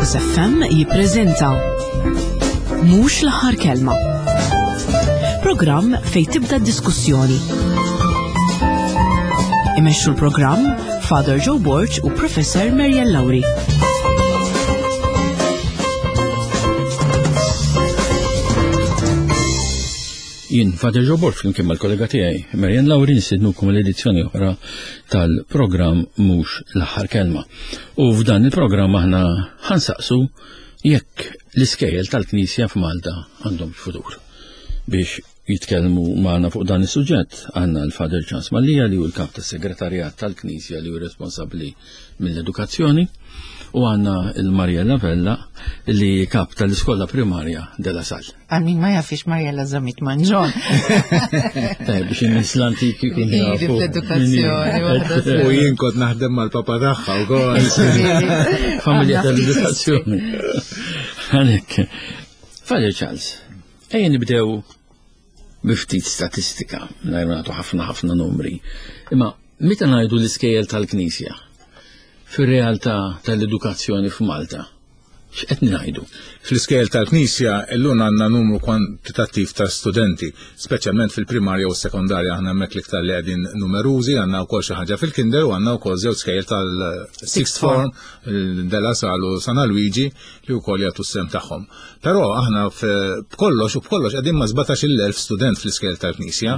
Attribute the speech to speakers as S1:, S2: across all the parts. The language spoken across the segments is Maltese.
S1: Focus FM jippreżenta Mhux l-aħħar kelma. Programm fejn tibda d-diskussjoni. Imexxu l-programm Father Joe Borg u Professor Marian Lauri.
S2: Jien Father Joe Borg flimkien mal-kollega tiegħi Marian Lauri nistednukom l-edizzjoni oħra tal-programm Mhux l-aħħar kelma. U f'dan il-programm aħna ħansaqsu jekk l-iskejjel tal-Knisja f'Malta għandhom futur. Biex jitkellmu magħna fuq dan is-suġġett għandna l-Father Charles Mallia li hu l-kap tas-segretarjat tal-Knisja li hu responsabbli mill-edukazzjoni u għandna l-Mariella Vella li kap tal-Iskola Primarja de la Salle.
S3: Għal min ma jafix Mariella Zamit Manġon.
S2: Tajb, biex in-nies l-antiki kun jafu.
S3: Fl-edukazzjoni.
S4: U jien kont naħdem mal-papa tagħha wkoll.
S2: Familja tal-edukazzjoni. Għalhekk. Father Charles, ejja nibdew bi ftit statistika, mingħajr ma nagħtu ħafna ħafna numri. Imma meta ngħidu l-iskejjel tal-Knisja, fir-realtà tal-edukazzjoni f'Malta, x'qed ngħidu?
S4: Fl-iskejjel tal-Knisja illum għandna numru kwantitattiv ta' studenti, speċjalment fil-primarja u s-sekondarja aħna hemmhekk l-iktar li qegħdin numerużi, għandna wkoll xi ħaġa fil-kinder u għandna wkoll żewġ skejjel tal-sixth form, De La Salle u San Alwiġi li wkoll jagħtu s-sehem tagħhom. Però aħna b'kollox u b'kollox qegħdin ma' 17,000 student fl-iskejjel tal-Knisja.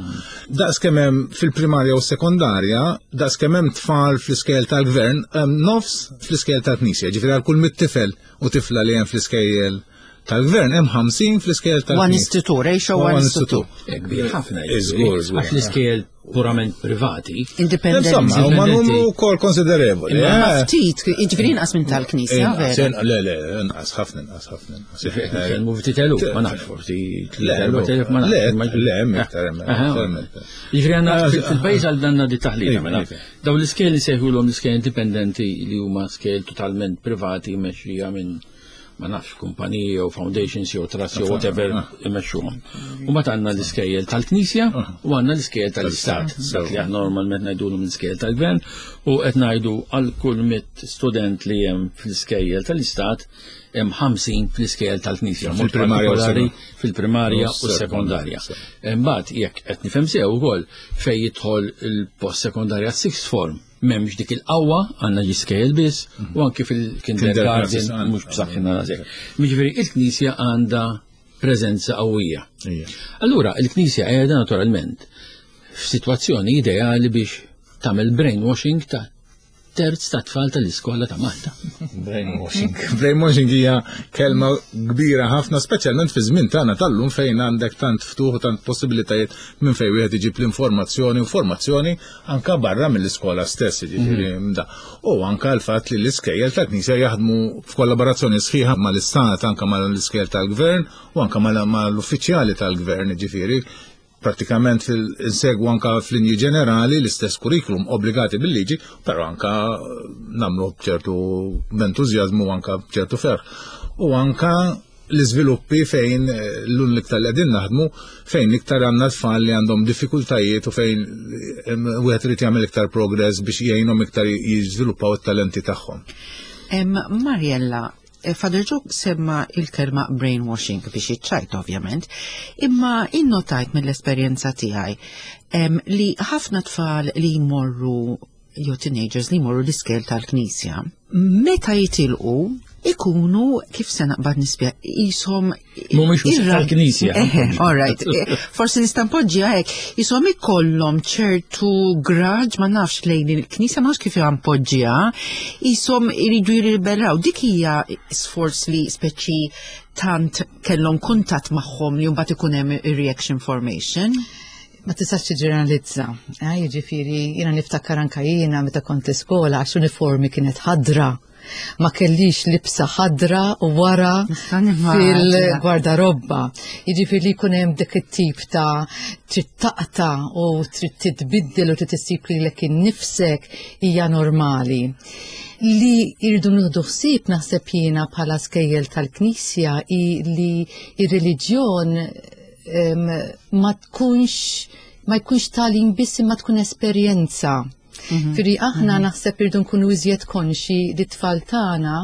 S4: Daqs kemm hemm fil-primarja u s-sekondarja, daqs kemm hemm tfal fl-iskejjel tal-gvern, hemm nofs fl-iskejjel tal-Knisja. Ġifieri għal kull mit tifel u tifla li hemm fl-iskejjel tal-gvern hemm 50 fl-iskejjel tal-Knisja.
S3: One is to two, ratio one is to two.
S2: Kbir ħafna.
S4: Żgur, żgur.
S2: Għax l-iskejjel purament privati.
S3: Indipendenti.
S4: Insomma, huma numru wkoll konsiderevoli.
S3: Ma
S4: eh.
S3: ftit, jiġifieri inqas minn tal-Knisja, vera.
S4: Le, le, inqas ħafna, inqas ħafna.
S2: Nitkellmu ftit eluf, ma nafx forsi 3,000 ma
S4: nafx. Le, hemm iktar, hemm iktar.
S2: Jiġifieri għandna fil-pajjiż għal danna di taħlita mela. Dawn l-iskejjel li sejħulhom l-iskejjel indipendenti li huma skejjel totalment privati mexxija minn ma nafx kumpaniji jew foundations jew trusts jew whatever ah. imexxuhom. U mbagħad għandna l-iskejjel tal-Knisja ah. u għandna l-iskejjel tal-Istat, dak li aħna normalment ngħidulhom l-iskejjel tal-Gvern u qed ngħidu għal kull mit student li hemm fl-iskejjel tal-Istat hemm 50 fl-iskejjel tal-Knisja, fil-primarja fil-primarja u s-sekondarja. Imbagħad jekk qed nifhem sew ukoll fejn jidħol il-post sekondarja sixth form m'hemmx dik il-qawwa għandna ġiskejjel biss mhm. u anki fil-kindergarten mhux b'saħħina għażek. Jiġifieri il-Knisja għandha preżenza qawwija. Allura il-Knisja qiegħda naturalment f'sitwazzjoni ideali biex tagħmel brainwashing ta' terz ta' tfal tal-iskola ta' Malta.
S4: Brainwashing. Brainwashing hija kelma kbira ħafna, speċjalment fi żmien tagħna tal-lum fejn għandek tant ftuħ u tant possibilitajiet minn fejn wieħed iġib l-informazzjoni, informazzjoni anka barra mill-iskola stess, jiġifieri mm. da. U anka l-fatt li l-iskejjel tal-Knisja jaħdmu f'kollaborazzjoni sħiħa mal-istat, anka mal-iskejjel tal-gvern u anka mal-uffiċjali tal-gvern, jiġifieri pratikament insegwu anka f'linji ġenerali l-istess kurrikulum obbligati bil-liġi, però anka namlu b'ċertu b'entużjażmu anka b'ċertu ferħ. U anka l-iżviluppi fejn eh, l-un l-iktar li qegħdin naħdmu fejn iktar għandna tfal li għandhom diffikultajiet u fejn eh, wieħed irid jagħmel iktar progress biex jgħinhom iktar jiżviluppaw it-talenti tagħhom.
S3: Mariella, eh, Father Joe semma il-kelma brainwashing biex iċċajt ovvjament, imma innotajt mill-esperjenza tiegħi li ħafna tfal li jmorru jew teenagers li jmorru l-iskel tal-knisja, meta jitilqu ikunu kif se naqbad nispja jisom
S2: Mhumiex tal-knisja.
S3: All right. Eh, forsi nista' npoġġiha hekk, jisom ikollhom ċertu graġ ma nafx lejn il-knisja ma nafx kif npoġġiha, jisom iridu jirribellaw. Dik hija sforz li speċi tant kellhom kuntatt magħhom li mbagħad ikun hemm ir-reaction formation.
S5: Ma tistax tiġġeneralizza. Eh, jiġifieri jiena niftakar anka jiena meta kont l-iskola għax uniformi kienet ħadra. Ma kellix libsa ħadra u wara fil-gwardarobba. Jiġifieri li jkun hemm dik it-tip ta' trid taqta' u trid titbiddel u trid issib lilek innifsek hija normali. Li jridu nieħdu ħsieb naħseb jiena bħala skejjel tal-Knisja hi li ir-reliġjon ma tkunx ma jkunx tagħlim biss imma tkun esperjenza. Firri aħna naħseb irdu nkunu iżjed konxi li t-tfal tagħna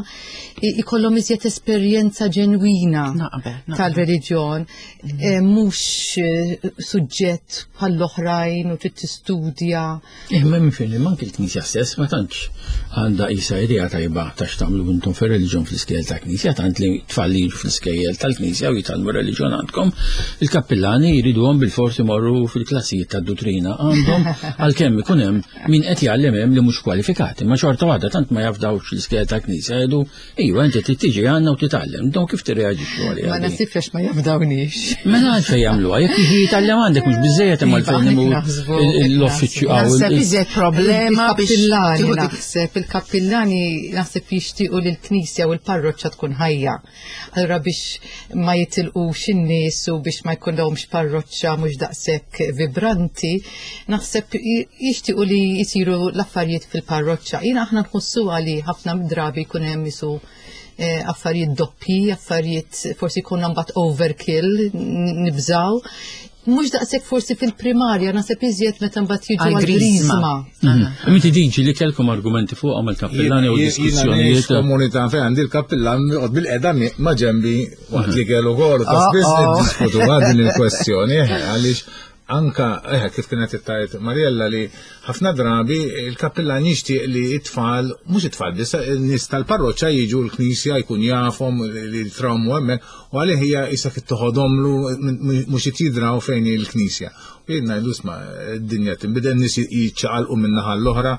S5: ikollhom iżjed esperjenza ġenwina tal-reliġjon, eh, mhux eh, suġġett bħall-oħrajn u trid tistudja.
S2: Imma eh, minn fejn manki l-Knisja stess ma tantx għandha isa idea tajba ta' x'tagħmlu intom fir-reliġjon fl-iskejjel ta' Knisja, tant li tfal li jiġu fl-iskejjel tal-Knisja u jitgħallmu reliġjon għandkom, il-kappillani jriduhom bil-forsi morru fil-klassijiet tad-dutrina għandhom għalkemm ikun hemm min qed jgħallem hemm li mhux kwalifikati, ma xorta waħda tant ma jafdawx l-iskejjel tal-Knisja jgħidu iva inti trid tiġi għandna u titgħallem, dawn kif tirreaġixxu għaliha?
S5: Ma nasibx għax ma jafdawniex.
S2: Mela għalfejn jagħmluha, jekk jiġi jitgħallem għandek mhux biżejjed imma
S5: iva,
S2: għalfejn imur l-uffiċċju
S3: hawn. Naħseb iżjed problema
S5: biex naħseb il-kappillani naħseb jixtiequ li l-Knisja u l-parroċċa tkun ħajja. Allura biex ma jitilqux in-nies u biex ma jkollhomx parroċċa mhux daqshekk vibranti, naħseb jixtiequ li jsiru l-affarijiet fil-parroċċa. Jiena aħna nħossuha li ħafna drabi jkun hemm isu eh, affarijiet doppi, affarijiet forsi jkun mbagħad overkill, nibżaw. Mhux daqshekk forsi fil-primarja, naħseb iżjed meta mbagħad jiġu għall-griżma.
S2: Mhm. Inti diġi li kellkom argumenti fuq għamel kappillani u diskussjonijiet.
S4: Komunità fejn għandi l-kappillan joqgħod bil-qeda ma' ġembi waqt li kellu kol ta' spiss oh, oh. niddiskutu din il-kwestjoni eh, għaliex anka eh, kif kienet tajt Mariella li ħafna drabi il-kappillan jixtieq li it-tfal, mhux it-tfal biss, nies tal-parroċċa jiġu l-knisja jkun jafhom li trawmu hemmhekk U għalih hija isa kif toħodhomlu mhux qed jidraw fejn hi l-knisja. U jien ngħidu isma' d-dinja tinbidel nies jiċċaqalqu minn naħa l-oħra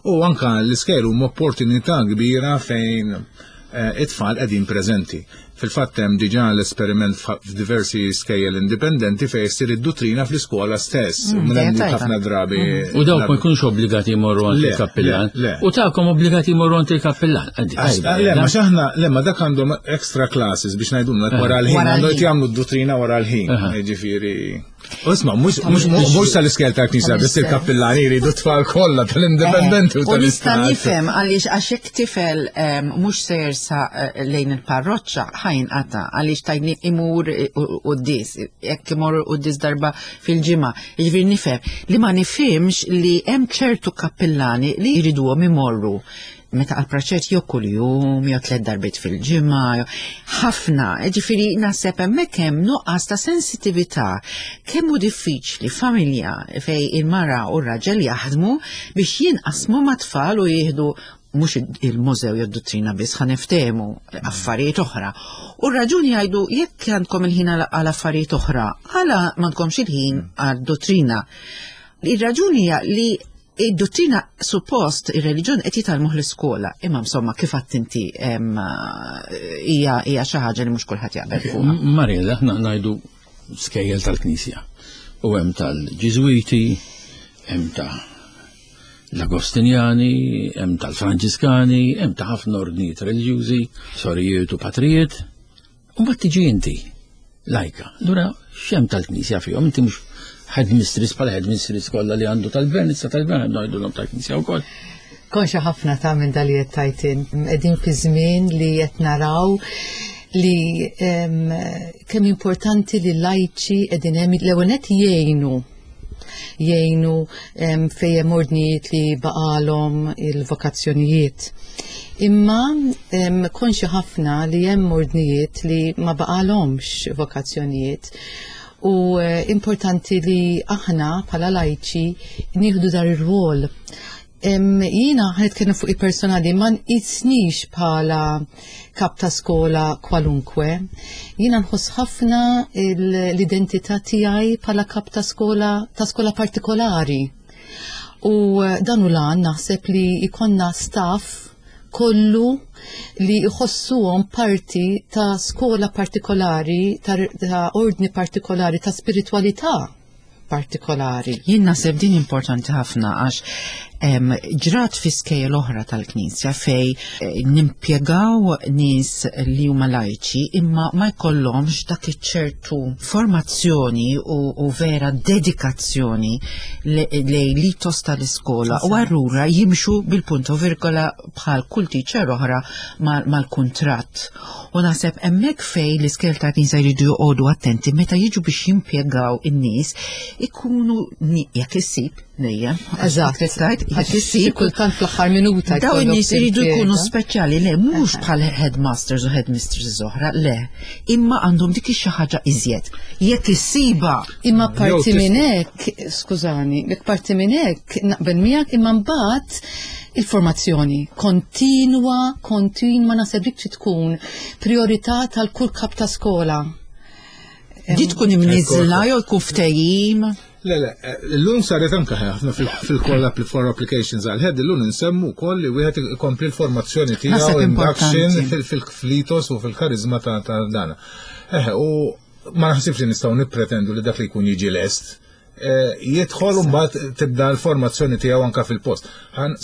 S4: u anka l-iskejl huma opportunità kbira fejn eh, it-tfal qegħdin preżenti. Fil-fatt hemm diġà l-esperiment f'diversi skejjel indipendenti fejn issir id-duttrina fl-iskola stess. Mm, Minn ħafna drabi.
S2: Mm. U dawk ma jkunux obbligati jmorru għand il-kappillan. U tagħkom obbligati jmorru għand il-kappillan.
S4: Le, ma xaħna, le, ma dak għandhom extra classes biex ngħidulna wara l-ħin, għandhom jagħmlu d-duttrina wara l-ħin. Ġifieri. Isma, mhux tal-iskel tal-knisja, biss il-kappillani jridu tfal kollha tal-indipendenti u
S3: tal-istat. Nista' nifhem għaliex għax hekk tifel mhux se jersa eh, lejn il-parroċċa ħajn qata għaliex tajni imur qudies, jekk imur qudies darba fil-ġimgħa. Jiġifieri nifhem li ma nifhimx li hemm ċertu kappillani li jriduhom imorru meta għal praċett jew kuljum jew tliet darbiet fil-ġimgħa, ħafna, ġifieri naħseb hemmhekk hemm nuqqas ta' sensitività kemm hu diffiċli familja fej il-mara u r-raġel jaħdmu biex jinqasmu mat-tfal u jieħdu mhux il-mużew jew dottrina biss ħa niftehmu affarijiet oħra. U r-raġuni jgħidu jekk għandkom il-ħin għal affarijiet oħra, għala m'għandkomx il-ħin għal dottrina. Ir-raġuni hija li Id-dottrina suppost ir-reliġjon qed jitgħallmuh l-iskola, imma insomma kif għadt inti hija hija xi ħaġa li mhux kulħadd jaqbel fuqha.
S2: Mariella, aħna ngħidu skejjel tal-Knisja. U hemm tal-Ġiżwiti, hemm ta' l-Agostinjani, hemm tal-Franġiskani, hemm ta' ħafna ordnijiet reliġjużi, sorijiet u patrijiet. U mbagħad tiġi inti, lajka. Allura x'hemm tal-Knisja fihom, inti mhux headmistress bħala headmistress kollha li għandu tal-gvern, issa tal-gvern għandu ngħidulhom tal-Knisja wkoll.
S5: Konxa ħafna ta' minn dal qed tajtin. Qegħdin fi żmien li qed naraw li kemm importanti li lajċi qegħdin hemm l-ewwel qed jgħinu jgħinu fejn hemm ordnijiet li baqalhom il-vokazzjonijiet. Imma konxi ħafna li hemm ordnijiet li ma baqalhomx vokazzjonijiet u eh, importanti li aħna bħala lajċi nieħdu dar ir-rwol Jiena ħanitkellem fuq il-personali ma nqisnix bħala kap ta' skola kwalunkwe. Jiena nħoss ħafna l-identità tiegħi bħala kap ta' skola ta' skola partikolari. U eh, dan u lan naħseb li ikonna staff kollu li jħossuhom parti ta' skola partikolari, ta', ta ordni partikolari, ta' spiritualità partikolari.
S3: Jien naħseb din importanti ħafna għax ġrat fi skejjel oħra tal-Knisja fej eh, nimpjegaw nies li huma lajċi imma ma jkollhomx dak iċ-ċertu formazzjoni u, u vera dedikazzjoni lej l-itos tal-iskola u allura jimxu bil-punto virgola bħal kull teacher oħra mal-kuntratt. U naħseb hemmhekk fejn l-iskejjel ta' knisja jridu joqogħdu attenti meta jiġu biex jimpjegaw in-nies ikunu jekk issib dejjem.
S5: Eżatt.
S3: Jekk issib
S5: kultant fl-aħħar minuta.
S3: Dawn in-nies iridu jkunu speċjali, le mhux bħal headmasters u headmistresses oħra, le. Imma għandhom dik xi ħaġa iżjed. Jekk issiba.
S5: Imma parti minn hekk, skużani, jekk parti minn hekk naqbel miegħek imma mbagħad il-formazzjoni kontinwa, kontinwa naħseb dik trid tkun priorità tal-kull kap ta' skola.
S3: Di tkun imniżla jew jkun ftehim.
S4: Le, le, l-lum saret anka ħafna fil-call for applications għal head, l-lum nsemmu wkoll li wieħed ikompli l-formazzjoni tiegħu induction fil-flitos u fil-karizma ta' dana. Eħe, u ma naħsibx li nistgħu nippretendu li dak li jkun jiġi lest eh, jidħol u mbagħad tibda l-formazzjoni tiegħu anka fil-post.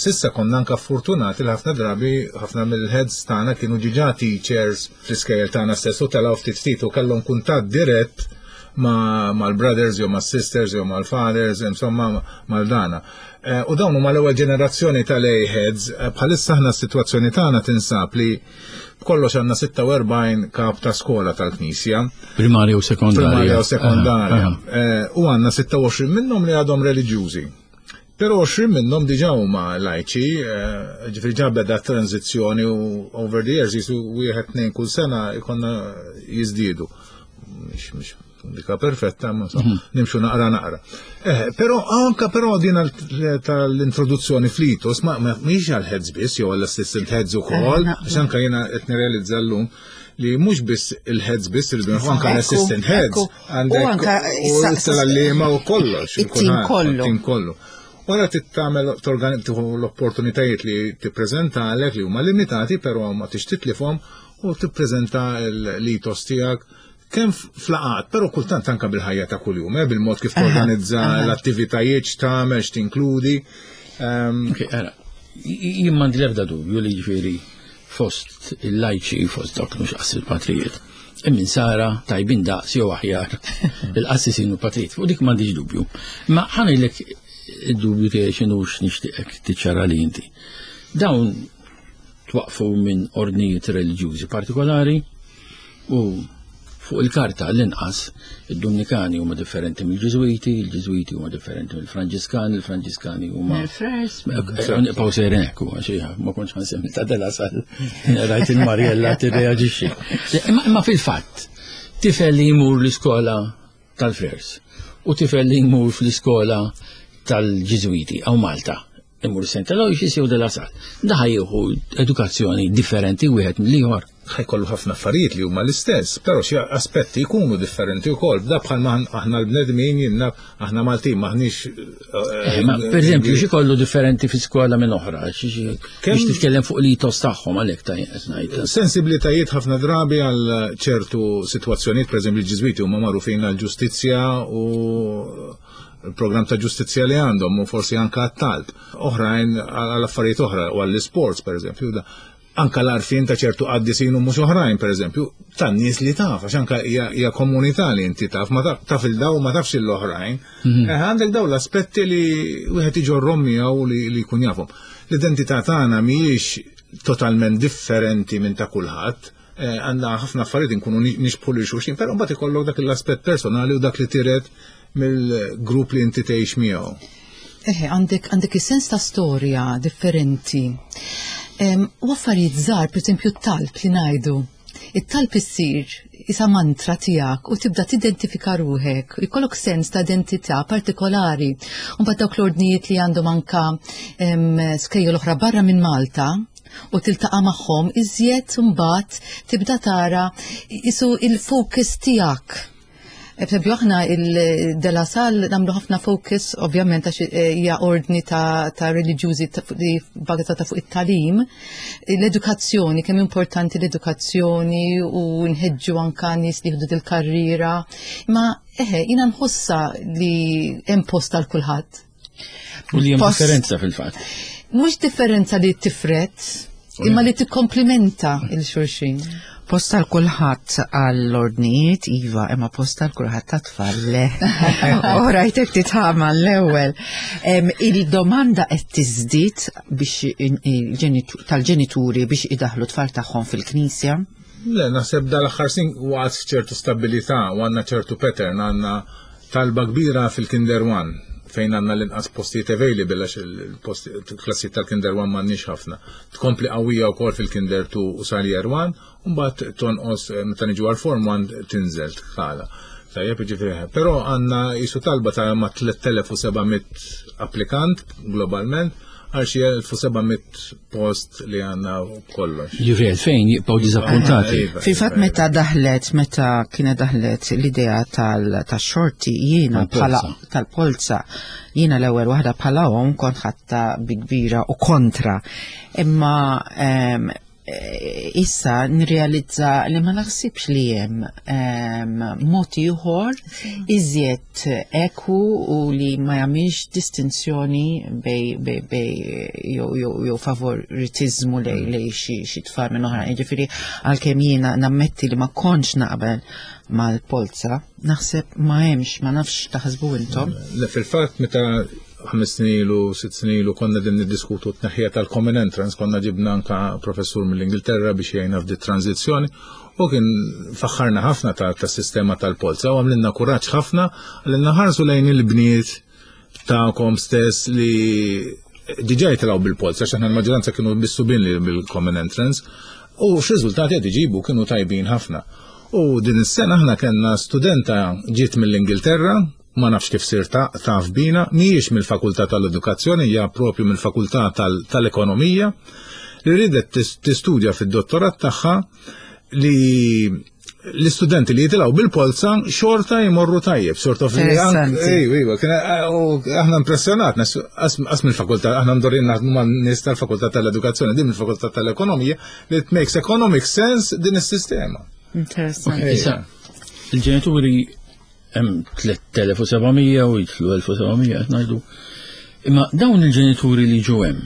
S4: Sissa konna anka fortunati li ħafna drabi ħafna mill-heads tagħna kienu ġiġa teachers fl-iskejjel tagħna stess u telgħu ftit ftit u kellhom kuntatt dirett mal-brothers jew mas-sisters jew mal-fathers, insomma mal-dana. Eh, u dawn huma l-ewwel ġenerazzjoni tal-A-heads, eh, bħalissa aħna s-sitwazzjoni tagħna tinsab li b'kollox għandna 46 kap ta' skola tal-Knisja.
S2: Primarja u sekondarja.
S4: Primarja u sekondarja. Eh, u għandna 26 minnhom li għadhom reliġjużi. Però 20 minnhom diġà huma lajċi, ġifieri ġa beda tranzizzjoni u over the years jisu wieħed tnejn kull sena jkollna jiżdiedu. Mhix dika perfetta, ma insomma, mhm. nimxu naqra naqra. Eh, però anka però din tal-introduzzjoni fl-itos ma mhix għal heads biss jew għall-assistant heads ukoll, eh, għax anka jiena qed nirrealizza llum li mhux biss il-heads biss irridu anka l-assistant heads għandek u tal-għalliema u kollox.
S3: It-tim kollu.
S4: It-tim kollu. Wara tittamel tieħu l-opportunitajiet li tippreżenta għalek li huma limitati, però ma tix titlifhom u tippreżenta l-itos tiegħek kemm flaqat, però kultant anka bil-ħajja ta' kuljum, eh, bil-mod kif torganizza l-attivitajiet x'tagħmel, x'tinkludi.
S2: Ehm, jien m'għandi l-ebda dubju li ġifieri fost il-lajċi, fost dawk mhux qas il-patrijiet. Immin sara tajbin daqs jew aħjar il-qassisin u patrijiet. Fuq dik m'għandix dubju. Ma ħanilek id-dubju tiegħi x'inhu x'nixtieqek tiċċara li inti. Dawn twaqfu minn ordnijiet reliġjużi partikolari u fuq il-karta l-inqas id-Dumnikani huma differenti mill-Ġiżwiti, il-Ġiżwiti huma differenti mill-Franġiskani, il-Franġiskani huma. Nibqgħu sejrin hekk huwa xi ma kontx ħansemmi ta' Della Sal rajt il-Marjella tirreaġixxi. Imma fil-fatt tifel li jmur l-iskola tal-Frers u tifel li jmur fl-iskola tal-Ġiżwiti hawn Malta imur St. Aloysius jew De La Salle. Da jieħu edukazzjoni differenti wieħed mill-ieħor.
S4: Ħajkollu ħafna affarijiet li huma l-istess, però xi aspetti jkunu differenti wkoll. Da bħalma aħna l-bnedmin jinnna aħna Maltin maħniex.
S2: Eh, eh, per eżempju, xi kollu differenti fi skola minn oħra, biex titkellem fuq li tos tagħhom għalhekk ta' ngħid.
S4: Sensibilitajiet ħafna drabi għal ċertu sitwazzjonijiet, per eżempju, l-Ġiżwiti huma magħrufin għal ġustizzja u il-programm ta' ġustizzja li għandhom u forsi anka għat-talb. Oħrajn għal affarijiet oħra u għall-isports pereżempju. Anka l-arfin ta' ċertu qaddisin u mhux oħrajn pereżempju, tan-nies li taf, għax anka hija komunità li inti taf, ma taf il-daw ma tafx l-oħrajn. Mhm. Eh, għandek daw l-aspetti li wieħed iġorrom miegħu li jkun jafhom. L-identità tagħna mhijiex totalment differenti minn ta' kulħadd eh, għandna ħafna affarijiet nkunu nixbħu lil xulxin, però mbagħad ikollok dak l-aspett personali u dak li tiret mill-grupp li inti tgħix miegħu.
S5: Eħe, għandek għandek is-sens ta' storja differenti. U affarijiet żgħar, pereżempju t-talb li ngħidu. It-talb issir isa mantra tiegħek u tibda tidentifika ruħek, jkollok sens ta' identità partikolari. U mbagħad dawk l-ordnijiet li għandhom anka skejjel oħra barra minn Malta, u tiltaqa' magħhom iżjed mbagħad tibda tara isu il-focus tiegħek. Per aħna il-De La Salle nagħmlu ħafna focus, ovvjament għax eh, hija ordni ta', ta reliġjużi li bażata fuq it-talim, l-edukazzjoni, kemm importanti l-edukazzjoni u nħeġġu anka nies li jieħdu dil-karriera. Ma eħe, jiena nħossa li hemm post għal kulħadd.
S2: U li hemm differenza fil-fatt.
S5: Mhux differenza li tifret, imma li tikkomplimenta il-xulxin.
S3: Post għal kulħadd għall-ordnijiet, iva, imma post għal kulħadd ta' tfal le. U rajtek titħama l-ewwel. Il-domanda qed tiżdied biex tal-ġenituri biex idaħlu tfal tagħhom fil-knisja?
S4: Le, naħseb dal-aħħar sin waqgħet f'ċertu stabilità u għandna ċertu pattern, għandna talba kbira fil-Kinder One. fejn għandna l-inqas postijiet available għax il-klassijiet tal-Kinder 1 m'għandniex ħafna. Tkompli qawwija wkoll fil-Kinder 2 u sal-Year 1, u mbagħad tonqos eh, meta niġu għal Form 1 tinżel tħala. Tajjeb, ġifieri. Però għandna jisu talba ta' ma' 3700 applikant globalment għal xi 1700 post li għandna kollox.
S2: Ġifieri fejn jibqgħu diżappuntati.
S4: Iva,
S3: Fil-fatt
S4: iva,
S3: meta daħlet, meta kienet daħlet l-idea tal-xorti jiena bħala tal-polza, jiena l-ewwel waħda bħala omm kont ħatta bi kbira u kontra. Imma ehm, eh, issa nirrealizza li ma naħsibx li hemm ehm, mod ieħor iżjed eku u li ma jagħmilx distinzjoni bej bej bej jew jew jew favoritizmu lej lej xi xi tfal minn oħra. Jiġifieri għalkemm jiena nammetti li ma kontx naqbel mal-polza, naħseb ma hemmx, ma nafx taħsbu intom.
S4: Le fil-fatt meta ħames snin ilu, sitt snin ilu konna din niddiskutu t-tneħħija tal-Common Entrance, konna ġibna anka professur mill-Ingilterra biex jgħinna f'di tranzizzjoni u kien faħħarna ħafna ta' ta' sistema tal-polza u għamlilna kuraġġ ħafna għalilna ħarsu lejn il-bniet tagħkom stess li diġà jitilgħu bil-polza għax aħna l-maġġoranza kienu bis-subien li bil-Common Entrance u x'riżultati qed iġibu kienu tajbin ħafna. U din is-sena aħna kellna studenta ġiet mill-Ingilterra, ma nafx kif sir taf bina, mhijiex mill-Fakultà tal-Edukazzjoni, hija propju mill-Fakultà tal-Ekonomija, li ridet tistudja fid-dottorat tagħha li l-istudenti li jitilgħu bil-polza xorta jmorru tajjeb, sort of li Ejwa, aħna impressjonat, qas mill-fakultà, aħna ndorrin naħdmu ma' nies tal-Fakultà tal-Edukazzjoni, din mill-Fakultà tal-Ekonomija, li it makes economic sense din is-sistema.
S3: Interessanti.
S2: Issa, il-ġenituri hemm 3700 u jidħlu 1700 qed ngħidu. Imma dawn il-ġenituri li jiġu hemm,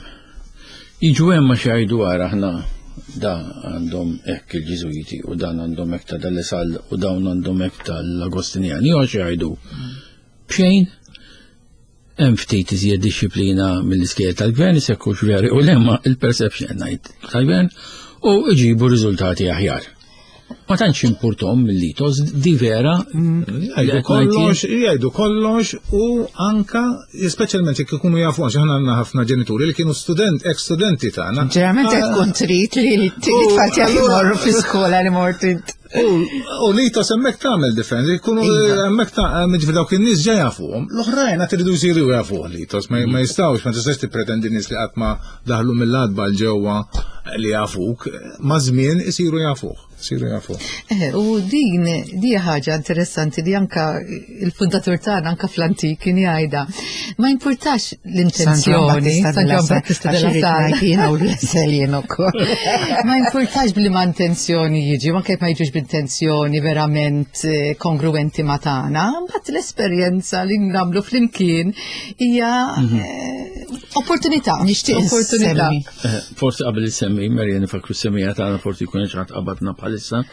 S2: jiġu hemm għax jgħidu ara aħna da għandhom hekk il-Ġiżwiti u dan għandhom hekk ta' dal-Isal u dawn għandhom hekk tal-Agostinjani jew għax jgħidu b'xejn hemm ftit iżjed dixxiplina mill-iskejjel tal-gvern, se jkunx veri u lemma il-perception ngħid tal-gvern u jġibu riżultati aħjar. Ma tantx impurtom mill-litos, di vera.
S4: Jgħidu kollox, jgħidu kollox u anka, speċjalment jekk ikunu jafu għax aħna għandna ħafna ġenituri li kienu student, ex-studenti tagħna.
S3: Ġeneralment qed tkun trid li t-tfal tiegħek imorru fl-iskola li mort int.
S4: U li ta' semmek tagħmel differenti, jkunu
S3: Iva.
S4: hemmhekk ta' jiġifieri dawk in-nies ġa jafuhom. L-oħrajn għad iridu jsiru jafuh li tos ma ma jistgħux, ma tistax tippretendi nies li qatt ma daħlu mill-għatba l ġewwa li jafuk, ma' żmien isiru jafuh, isiru jafuh.
S5: Eh, u din di ħaġa interessanti li anka il-fundatur tagħna anka fl-antik kien jgħidha. Ma jimpurtax l-intenzjoni, San Ġwan Battista della Sala.
S3: Jiena u l-sel jien ukoll.
S5: Ma jimpurtax bli ma intenzjoni jiġi, ma kif ma jiġux b'intenzjoni verament eh, kongruenti ma tagħna, mbagħad l-esperjenza li nagħmlu flimkien hija eh, opportunità.
S3: Nixtieq
S5: opportunità.
S3: insemmi.
S2: Eh, Forsi qabel semmi, Marian nifakru semmija tagħna forsi jkun xi ħadd qabadna bħalissa.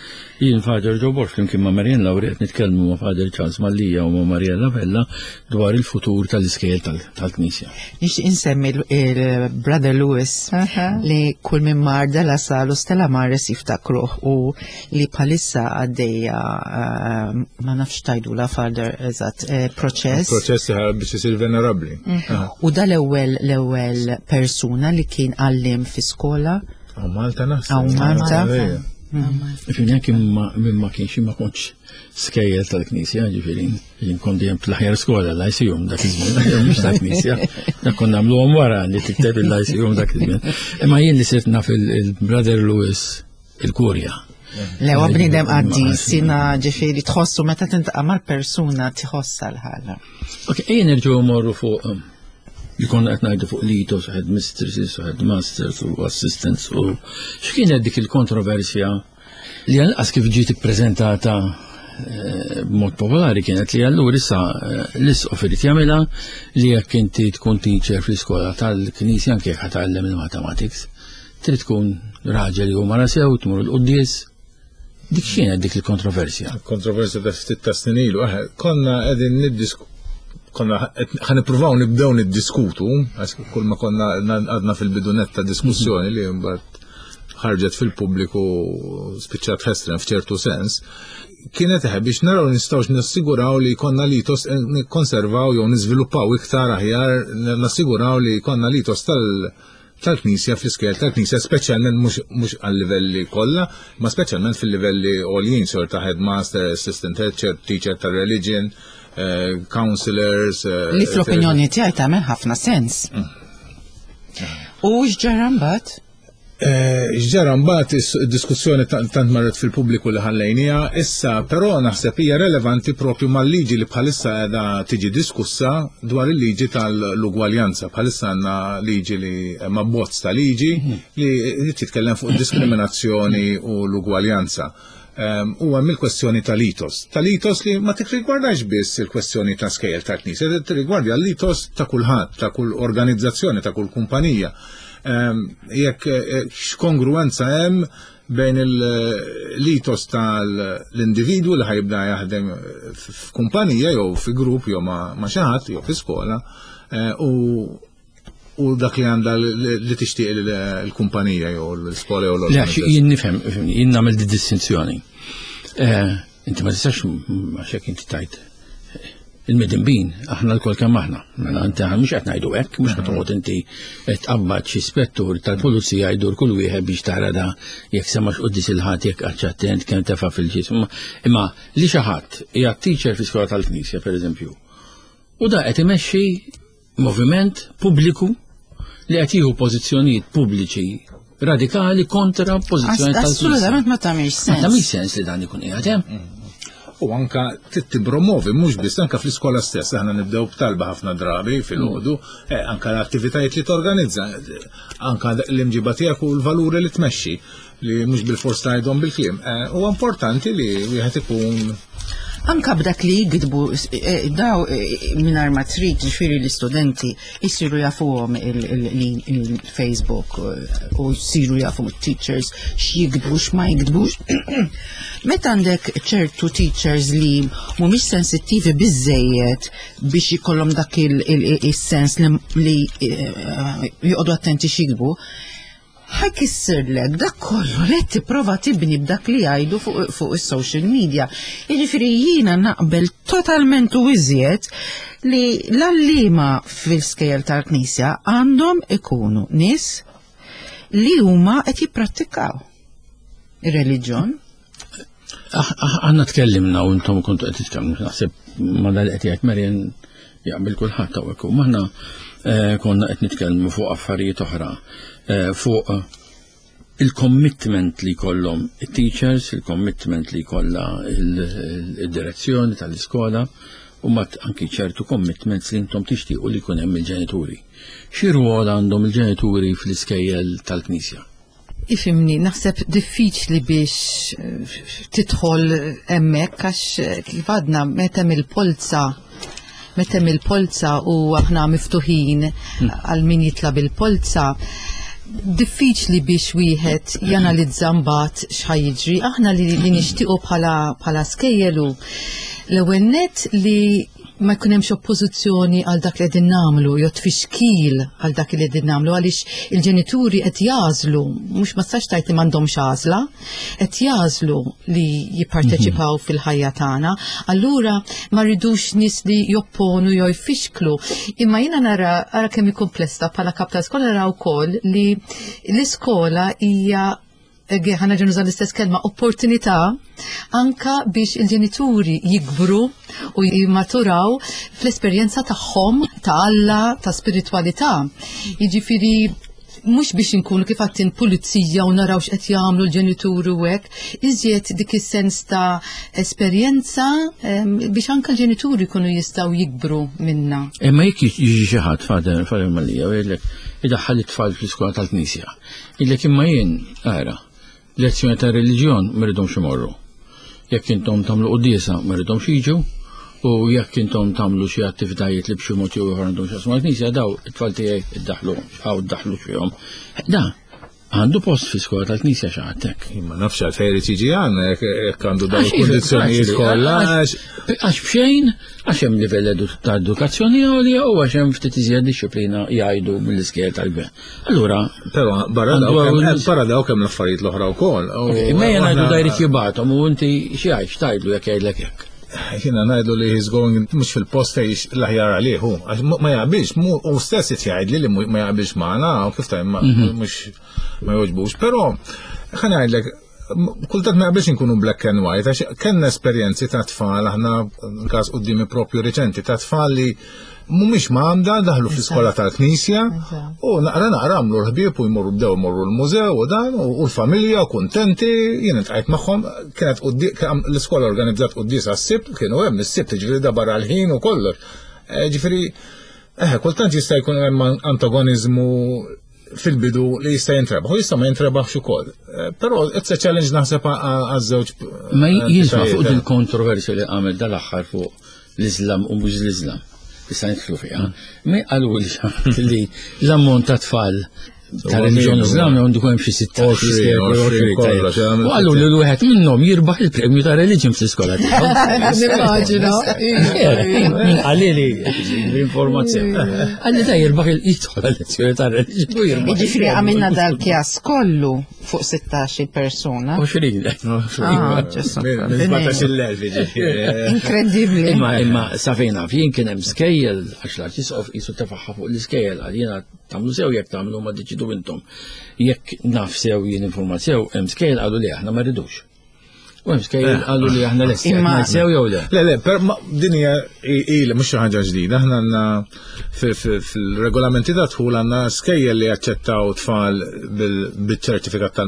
S2: Jien Father Joe Borg flimkien ma' Marian Lauri qed nitkellmu ma' Father Charles Mallia u ma' Mariella Vella dwar il-futur tal-iskejjel tal-Knisja.
S3: Nixtieq insemmi il-Brother Lewis li kull minn mar della Sal u Stella Maris jiftakruh u li bħalissa għaddejja eh, ma nafx tajdula Father eżatt eh, proċess.
S4: Proċess biex isir venerabbli.
S3: U da l-ewwel l-ewwel persuna li kien għallim fi skola
S4: Għaw Malta naħseb.
S3: Hawn Malta.
S4: Ejja.
S2: Ġifieri anke minn ma kienx ma kontx skejjel tal-Knisja, ġifieri jien kont dejjem fl-aħjar skola l-ICU dak iż-żmien, mhux tal-Knisja. Dak konna nagħmluhom wara li tikteb il-ICU dak iż-żmien. Imma jien li sirt naf il-Brother Lewis il-Kurja.
S3: Le, huwa bniedem qaddis, jiena ġifieri tħossu meta tintaqa' mal-persuna tħossa l-ħaġa.
S2: Ok, ejja nerġgħu morru fuq um, li konna qed ngħidu fuq litos, u headmistresses, u headmasters, u assistants, u x'kienet dik il-kontroversja li għalqas kif ġiet ippreżentata eh, b'mod popolari kienet li allura issa eh, l-isqof irid jagħmilha li jekk inti tkun teacher fl-iskola tal-Knisja anke jekk ħatgħallem il-mathematics, trid tkun raġel jew mara sew, tmur il-quddies. Dik x'kienet dik il-kontroversja?
S4: Kontroversja ta' ftit ta' snin ilu, eh, konna qegħdin niddisku konna ħa nippruvaw nibdew niddiskutu, għax kull ma konna għadna fil-bidunet ta' diskussjoni li mbagħad ħarġet fil-pubbliku spiċċat ħesrem f'ċertu sens. kienet eħe biex naraw nistgħux nassiguraw li jkollna litos eh, nikkonservaw jew niżviluppaw iktar aħjar nassiguraw li jkollna litos tal tal-Knisja fl-iskejjel tal-Knisja, speċjalment mhux għal-livelli kollha, ma speċjalment fil-livelli għoljin, sort ta' headmaster, assistant head, teacher tal-religion, eh, counselors. Eh,
S3: li fl-opinjoni tiegħi tagħmel ħafna sens. U x'ġara mbagħad?
S4: Eh, x'ġara mbagħad is-diskussjoni tant marret fil-pubbliku li ħallejnija, issa però naħseb hija relevanti propju mal-liġi li bħalissa qiegħda tiġi diskussa dwar il-liġi tal-ugwaljanza. Bħalissa għandna liġi li ma bozz ta' liġi mhm. li titkellem fuq diskriminazzjoni u l-ugwaljanza. Ehm, u hemm il-kwestjoni tal-itos. Tal-itos li ma tirrigwardax biss il-kwestjoni ta' skejjel ta' knisja, tirrigwardja l-itos ta' kulħadd, ta' kull organizzazzjoni, ta' kull kumpanija. Ehm, jekk eh, x'kongruenza hemm bejn l-itos tal-individwu li ħajibda jaħdem f'kumpanija jew fi grupp jew ma' xi ħadd jew fi skola eh, u u dak li għandha li tixtieq l-kumpanija jew l-iskola jew
S2: l-organizzazzjoni. Jien nifhem, jien nagħmel di distinzjoni. Eh, inti ma tistax għax hekk inti tajt il-midinbin, aħna l-kol kemm aħna. Mela inti aħna mhux qed ngħidu hekk, mhux qed toqgħod inti tqabbad xi spettur tal-pulizija jdur kull wieħed biex tara da jekk semax quddis il-ħadd jekk qatx attent kemm tefa' fil-ġism. Imma li xi ħadd hija teacher fi skola tal-Knisja pereżempju. U da qed imexxi moviment pubbliku li qed jieħu pożizzjonijiet pubbliċi radikali kontra pożizzjoni tal
S3: Assolutament ma tagħmilx sens.
S2: Ma tagħmilx sens li dan ikun qiegħed hemm. Mm.
S4: U anka titpromovi mhux biss anka fl-iskola stess aħna nibdew b'talba ħafna drabi fil-ħodu, mm. eh, anka l-attivitajiet li torganizza, anka l-imġiba tiegħek u l-valuri li tmexxi li mhux bil-fors tgħidhom bil-kliem. Eh, huwa importanti li wieħed ikun
S3: Anka b'dak li jikdbu eh, daw eh, mingħajr ma trid ġifieri l-istudenti jsiru jafuhom il-Facebook u jsiru jafu teachers x'jikdbu x'ma jikdbux. Meta għandek ċertu teachers li mhumiex sensittivi biżejjed biex ikollhom dak il-sens li joqogħdu attenti x'jikdbu, ħa jkissirlek dak kollu li qed tipprova tibni b'dak li jgħidu fuq fu is-social media. Jiġifieri jiena naqbel totalment u iżjed li l-għalliema fil-skejjel tal-Knisja għandhom ikunu nies li huma qed jipprattikaw ir-reliġjon.
S2: Aħna tkellimna u intom kontu qed titkellmu naħseb ma dal qed jgħid Marian jaqbel kulħadd hawnhekk. U aħna eh, konna qed nitkellmu fuq affarijiet oħra, eh, fuq il-commitment li jkollhom it-teachers, il-commitment li jkollha il-direzzjoni tal-iskola u mat anki ċertu commitments li intom tixtiequ li jkun hemm il-ġenituri. Xi rwol għandhom il-ġenituri fl-iskejjel tal-Knisja?
S5: Ifimni, naħseb diffiċli biex eh, tidħol hemmhekk għax eh, kif għadna meta mill-polza meta mill-polza u aħna miftuħin hmm. għal min jitla bil-polza diffiċli biex wieħed janalizza mbagħad x'ħa jiġri. Aħna li, li nixtiequ bħala bħala skejjelu l-ewwel net li ma jkun hemmx oppożizzjoni għal dak li qegħdin nagħmlu jew tfixkil għal dak li qegħdin nagħmlu għaliex il-ġenituri qed jażlu, mhux ma tistax tgħid li m'għandhomx għażla, qed jażlu li jipparteċipaw mhm. fil-ħajja tagħna. Allura ma rridux nies li jopponu jew jfixklu. Imma jiena nara ara kemm hi komplessa bħala kap ta' skola nara wkoll li l-iskola hija ħana ġenuża l-istess kelma, opportunità anka biex il-ġenituri jikbru u jimmaturaw fl-esperjenza tagħhom ta' Alla, ta' spiritualità. Jiġifieri mhux biex inkunu kif għattin pulizija u naraw x'qed jagħmlu l-ġenituri u hekk, iżjed dik is-sens ta' esperjenza biex anka l-ġenituri jkunu jistgħu jikbru minna.
S2: Imma jekk jiġi xi ħadd fader fader Malija u jgħidlek idaħħal it-tfal fl-iskola tal-Knisja. Jgħidlek imma jien, ara, lezzjoni ta' reliġjon ma rridhomx imorru. Jekk intom tagħmlu quddiesa ma rridhomx jiġu, u jekk intom tagħmlu xi attivitajiet li b'xi mod jew ieħor għandhom x'jaqsmu mal-Knisja daw it-tfal tiegħi iddaħħlu hawn iddaħħlu fihom. Da, Għandu post fi skola tal-Knisja xi ħadd hekk.
S4: Ma nafx għalfejn irid jiġi għandna jekk għandu dawn il-kundizzjonijiet kollha.
S2: Għax b'xejn, għax hemm livell ta' edukazzjoni għolja u għax hemm ftit iżjed dixxiplina jgħidu mill-iskejjel tal-gvern. Allura.
S4: Però barra dawk hemm l-affarijiet l-oħra wkoll.
S2: Imma jien ngħidu da jrid jibgħathom u inti xi għajx tgħidlu jekk jgħidlek hekk.
S4: Jiena ngħidlu li he's going mhux fil-post fejn l-aħjar għalih hu. Għax ma jaqbilx, u stess qed jgħidli li ma jaqbilx magħna u kif tajm mhux ma jogħġbux. Però ħa ngħidlek kultant ma jaqbilx inkunu black and white, għax kellna esperjenzi ta' tfal, aħna każ quddiemi propju reċenti ta' tfal li mhumiex m'għandha daħlu fl-iskola tal-Knisja u naqra naqra għamlu l-ħbieb u jmorru bdew jmorru l-mużew u dan u l-familja u kuntenti jien intqajt magħhom kienet l-iskola organizzat quddiesa s-Sibt kienu hemm is-Sibt ġifieri da barra l-ħin u kollox. Eh, ġifieri eh, kultant jista' jkun hemm antagoniżmu fil-bidu li jista' jintrebaħ u jista' ma jintrebaħx ukoll. Eh, però it's a challenge naħseb għaż-żewġ.
S2: Ma jisma' fuq il-kontroversja li għamel dal-aħħar fuq l-Islam u mhux l-Islam. Issa nidħlu fiha. Ma qalu li l-ammont ta' tfal ta' reliġjon Islam għandu hemm xi 16 U qalu li l-wieħed minnhom jirbaħ il-premju ta' reliġjon fl-iskola
S5: tiegħu. Nimmaġina.
S2: Min qalli li l-informazzjoni. Qalli da jirbaħ il-jidħol lezzjoni ta' reliġjon u jirbaħ.
S3: Jiġifieri għamilna dal-kjas kollu fuq 16 persuna.
S2: 20.
S3: Ah, ġesu. Inkredibbli.
S2: Imma imma sa fejn naf jien kien hemm skejjel għax l-arċisqof qisu tefaħħa fuq l-iskejjel għal jiena tagħmlu sew jekk tagħmlu ma deċidu intom. Jekk naf sew jien informat sew hemm skejjel qalu li aħna ma rridux. U hemm skejjel eh. qalu li aħna lesti. Imma sew jew le.
S4: Le le, per din hija ilha mhux xi ħaġa ġdida. Aħna għandna fil-regolamenti ta' dħul għandna skejjel li jaċċettaw tfal bil-ċertifikat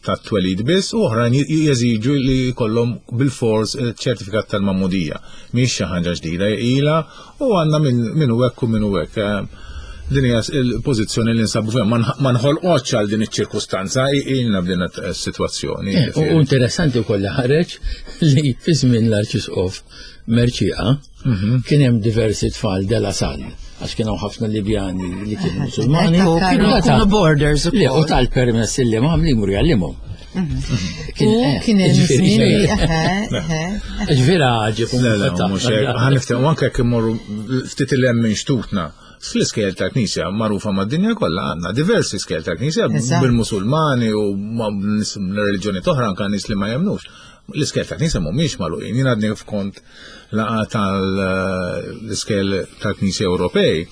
S4: tat-twelid biss u oħrajn jeżiġu li jkollhom bil-fors ċertifikat tal-magħmudija. Mhix xi ħaġa ġdida ilha u għandna min hu hekk u min hu hekk. Eh, din hija l-pożizzjoni li nsabu fiha ma nħolqotx għal din iċ-ċirkustanza ilna b'din is-sitwazzjoni.
S2: Eh, u interessanti wkoll li ħareġ li fi żmien l-Arċisqof Merċieqa mhm. kien hemm diversi tfal della Salle għax kienu ħafna Libjani li kienu Musulmani.
S3: Kienu borders
S2: u tal-permess li ma li jmur jgħallimhom.
S5: U kien hemm
S2: Ġvira ġib.
S4: Ħaniftehmu anke jekk immorru ftit il hemm minn xtutna. Fl-iskejjel tal-Knisja magħrufa mad-dinja kollha għandna diversi skejjel tal-Knisja bil-Musulmani u nies reliġjoni oħra anke nies li ma jemmnux. L-iskejjel tal-Knisja mhumiex magħluqin. Jien għadni f'kont laqgħa tal-iskejjel tal-Knisja Ewropej.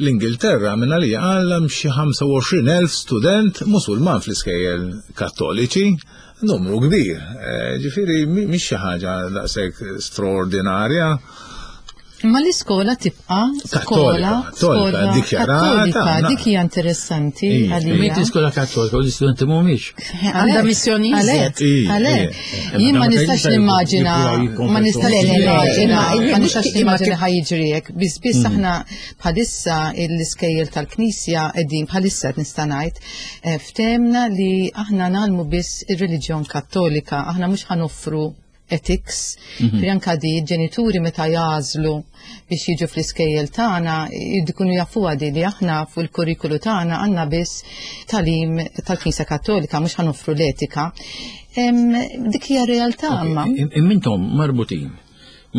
S4: L-Ingilterra minn għalija għal xi 25,000 student Musulman fl-iskejjel Kattoliċi, numru kbir. Eh, ġifieri mhix xi ħaġa daqshekk straordinarja.
S5: Imma l-iskola tibqa' skola
S4: kattolika,
S5: dikjarata. Dik hija interessanti
S2: għalija. Meta iskola kattolika u l-istudenti mhumiex.
S3: Għandha missjoni
S5: iżjed. Għalhekk. Jien ma nistax nimmaġina, ma nistax nimmaġina, ma nistax nimmaġina ħa jiġri hekk. Biss biss mm. aħna bħalissa l-iskejjel tal-Knisja qegħdin bħalissa qed nista' ngħid eh, ftemna li aħna nagħlmu biss ir-reliġjon Kattolika, aħna mhux ħanoffru ethics, mm -hmm. anka di ġenituri meta jażlu biex jiġu fl-iskejjel tagħna jkunu jafuha di li aħna fuq il-kurrikulu tagħna għandna biss talim tal-Knisja Kattolika mhux ħanoffru l-etika. Dik hija realtà imma.
S2: Immintom marbutin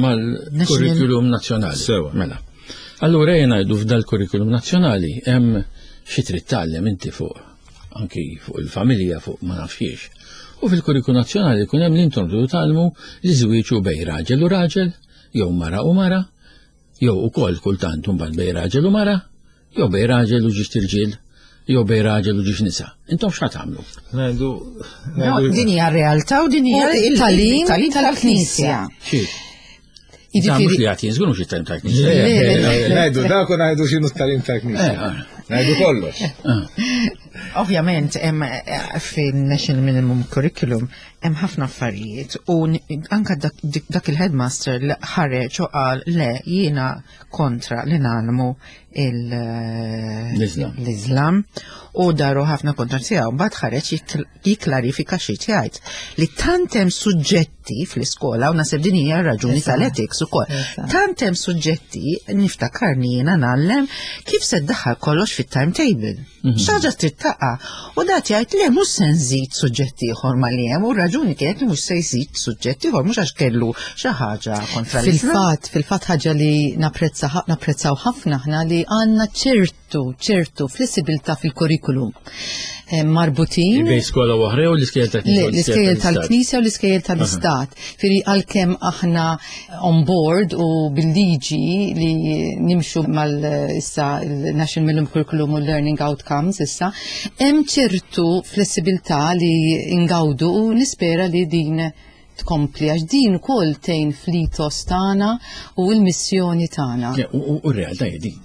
S2: mal-kurrikulum nazzjonali.
S4: Sewa.
S2: Mela. Allura jien ngħidu f'dal-kurrikulum nazzjonali hemm xi trid tgħallem inti fuq anki fuq il-familja, fuq ma nafxiex. U fil-kurriku nazzjonali jkun hemm li intom tridu tgħallmu li żwieġ hu bej raġel u raġel, jew mara u mara, jew ukoll kultant imbagħad bej raġel u mara, jew bej raġel u ġiex tirġiel, jew bej raġel u ġiex nisa. Intom x'ħa tagħmlu?
S4: Ngħidu
S3: din hija realtà u din hija
S5: il-tagħlim tal-Knisja.
S2: Jiġifieri mhux li għati, żgur mhux it-talim tal-Knisja.
S4: Ngħidu dak u ngħidu x'inhu t-talim tal-Knisja. Eh, eh. Ngħidu kollox.
S3: Eh. Ovvjament hemm fin-National Minimum Curriculum Hemm ħafna affarijiet u anka dak il-headmaster li ħareġ u qal le jiena kontra li nagħlmu l-Islam u daru ħafna kontra tiegħu. Mbagħad ħareġ jikklarifika xi jgħid li tant hemm suġġetti fl-iskola u naħseb din hija r-raġuni tal-ethics ukoll. Tant hemm suġġetti niftakarni jiena ngħallem kif se ddaħħal kollox fit-timetable. Mhm. Xaġa trid taqa' u dat jgħid le mhux se nżid suġġett ieħor ma li hemm u raġuni kienet li mhux se jżid suġġett ieħor mhux għax kellu xi ħaġa kontra
S5: Fil-fatt, fil-fatt ħaġa li napprezza napprezzaw ħafna aħna li għandna ċertu ċertu flessibilità fil-kurrikulum. Eh, marbutin.
S2: Bejn skola oħra u l-iskejjel
S5: tal-Knisja. L-iskejjel tal-Knisja u l-iskejjel tal-Istat. Firi għalkemm aħna on board u bil-liġi li nimxu mal issa il-National Minimum Curriculum u Learning Outcomes issa, hemm ċertu flessibilità li ingawdu u nispera li din tkompli għax din ukoll tgħin fl-ethos tagħna u l-missjoni tagħna.
S2: U r-realtà hi din.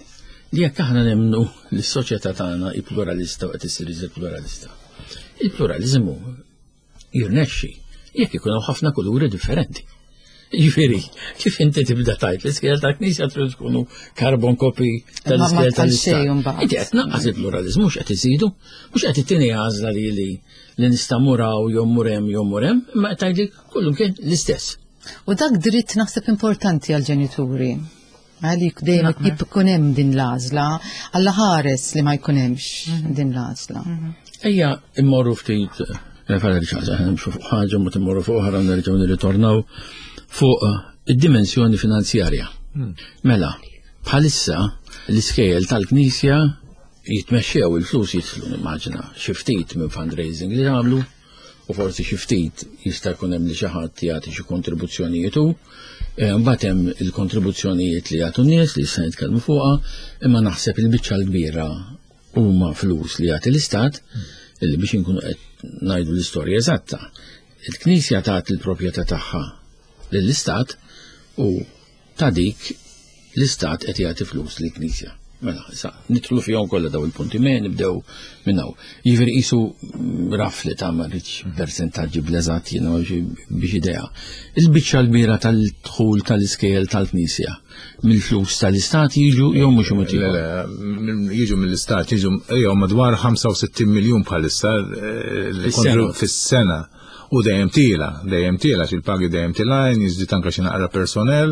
S2: Li jekk aħna nemmnu li s-soċjetà tagħna hi pluralista u qed issir iżjed pluralista. Il-pluraliżmu jirnexxi jekk ikun hawn ħafna kuluri differenti. Jiġifieri, kif inti tibda tajt l-iskejjel tal-Knisja trid tkunu carbon copy tal-iskejjel tal-Istat. Inti qed tnaqqas il-pluraliżmu mhux qed iżidu, mhux qed ittini għażla li li li nista' muraw jew mur hemm jew mur hemm, imma qed tgħidli kullum kien l-istess.
S5: U dak dritt naħseb importanti għall-ġenituri. Għalik dejjem jkun hemm din l-għażla, Alla ħares li ma jkun hemmx mhm. din l-għażla.
S2: Mhm. Ejja immorru ftit eh, Fara li ċaġa, nimxu fuq ħaġa, ma timmorru fuq oħra nerġgħu nirritornaw fuq eh, id-dimensjoni finanzjarja. Hmm. Mela, bħalissa l-iskejjel tal-Knisja jitmexxew il-flus jidħlu nimmaġina xi ftit minn fundraising li jagħmlu u forsi xi ftit jista' jkun hemm li xi ħadd jagħti xi kontribuzzjonijiet hu. Eh, mbagħad hemm il-kontribuzzjonijiet li jagħtu n-nies li issa nitkellmu fuqha, imma naħseb il-biċċa l-kbira huma flus li jagħti l-istat illi biex inkunu qed ngħidu l-istorja eżatta. Il-Knisja tagħti l-proprjetà tagħha lill-istat u ta' dik l-istat qed jagħti flus lill-Knisja. Mela, issa nidħlu fihom kollha daw il-punti, me nibdew minn hawn. Jiġifieri qisu raf li ta' ma rridx persentaġġi bl-eżatt jiena biex idea. Il-biċċa l-kbira tal-dħul tal-iskejjel tal-Knisja mill-flus tal-istat jiġu jew mhux imut
S4: Jiġu mill-istat, jiġu jew madwar 65 miljun bħalissa eh, fis-sena. U dejjem tiela, dejjem tiela, xil-pagi dejjem tilajn, jiżdied anke xi naqra personnel,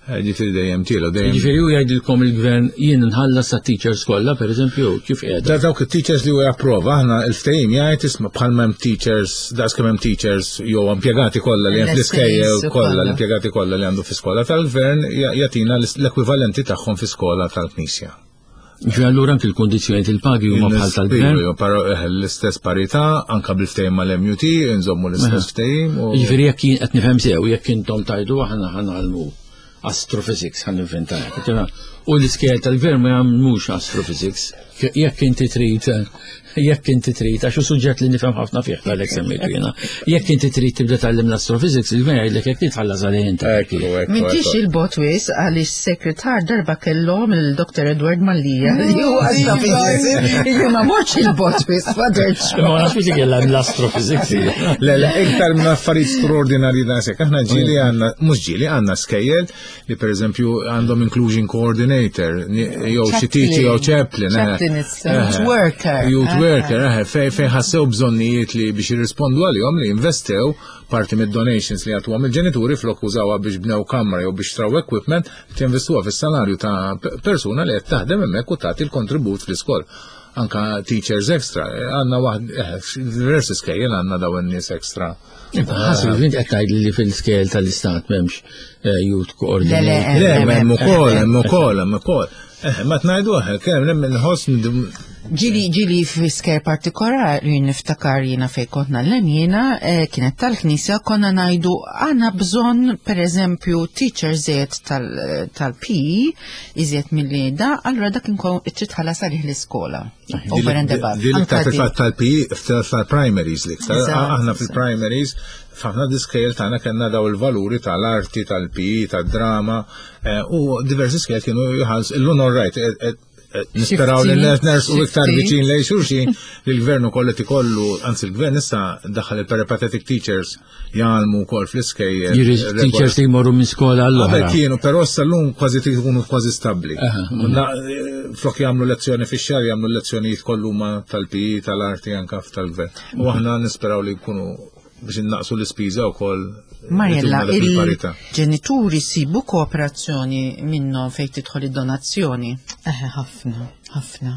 S4: eh, ġifieri dejjem tiela, dejjem.
S2: Ġifieri u jgħidilkom il-gvern jien nħallas sa teachers kollha, pereżempju, kif qiegħda.
S4: Da dawk it-teachers li huwa japprova, aħna l-ftehim jgħid isma' bħalma hemm teachers, daqs kemm hemm teachers jew impjegati kollha li hemm fl-iskejjel kollha, l-impjegati kollha li għandu fi skola tal-gvern jagħtina l-ekwivalenti tagħhom fi skola tal-Knisja.
S2: Ġi allura anki l-kondizzjonijiet il-pagi huma bħal tal-gvern.
S4: Eh, l-istess parità, anka bil-ftehim mal-MUT, nżommu l-istess ftehim.
S2: Jiġifieri jekk jien qed nifhem sew, jekk intom tajdu aħna ħanalmu astrophysics ħan inventa. U l-iskejjel tal-gvern ma jagħmlux astrophysics. Jekk inti trid jekk inti trid, għax hu suġġett li nifhem ħafna fih għalhekk semmejtu jiena. Jekk inti trid tibda tgħallim l-astrophysics, il-gvern jgħidlek jekk titħallas għalih inti.
S3: M'intix il-bot wis għaliex sekretar darba kellhom il-Dr. Edward Mallia li huwa astrophysics. Jien ma mortx il-bot wis, Father
S2: Ma nafx li kellha l-astrophysics.
S4: Le, le, iktar minn affarijiet straordinarji dan sekk. Aħna ġieli għandna, mhux ġieli għandna skejjel li per eżempju għandhom inclusion coordinator, jew xi teacher jew chaplain. Eh.
S3: Chaplain eh, youth worker.
S4: Youth eh. worker, fej fej ħassew bżonnijiet li biex jirrispondu għalihom li investew parti mid-donations li għatuhom il-ġenituri flok użawha biex bnew kamra jew biex traw equipment, tinvestuha fis-salarju ta' persuna li qed taħdem hemmhekk u tagħti l-kontribut fl-iskol anka teachers extra, għanna waħd, diversi skejjel għanna daw n-nies extra.
S2: Ħasib, int qed tgħid li fil-skejjel tal-istat m'hemmx eh, youth coordinator.
S4: Le, hemm ukoll, hemm ukoll, hemm ukoll. Eh, ma tnajdu eh, kemm hemm inħoss
S3: Ġili ġili fisker partikolari niftakar jiena fej kont nallem jiena kienet tal-knisja konna ngħidu għandna bżonn pereżempju teacher żied tal-PE iżjed milli da, allura dak inkun trid tħallas għalih l-iskola. Over and above.
S4: Din iktar fil-fatt tal-PE tal-primaries l-iktar. Aħna fil-primaries, f'ħafna diskejl tagħna kellna daw il-valuri tal-arti, tal-PE, tad-drama, eh, u diversi skejl kienu jħalls, illum all right, eh, eh, Nisperaw li ners u iktar viċin lej xulxin li l-gvern ukoll qed ikollu, anzi l-gvern issa daħal il-peripatetic teachers jgħallmu wkoll fl-iskejjel.
S2: Teachers li jmorru minn skola għall
S4: Qabel kienu, però issa llum kważi jkunu kważi stabbli. Flok jagħmlu lezzjoni fix-xahar jagħmlu lezzjonijiet kollu ma tal-PE, tal-arti anke tal-gvern. U aħna nisperaw li jkunu biex innaqsu l-ispiża wkoll.
S3: Mariella, il-ġenituri sibu kooperazzjoni minnhom fejn tidħol id-donazzjoni?
S5: Eħe, ħafna, ħafna.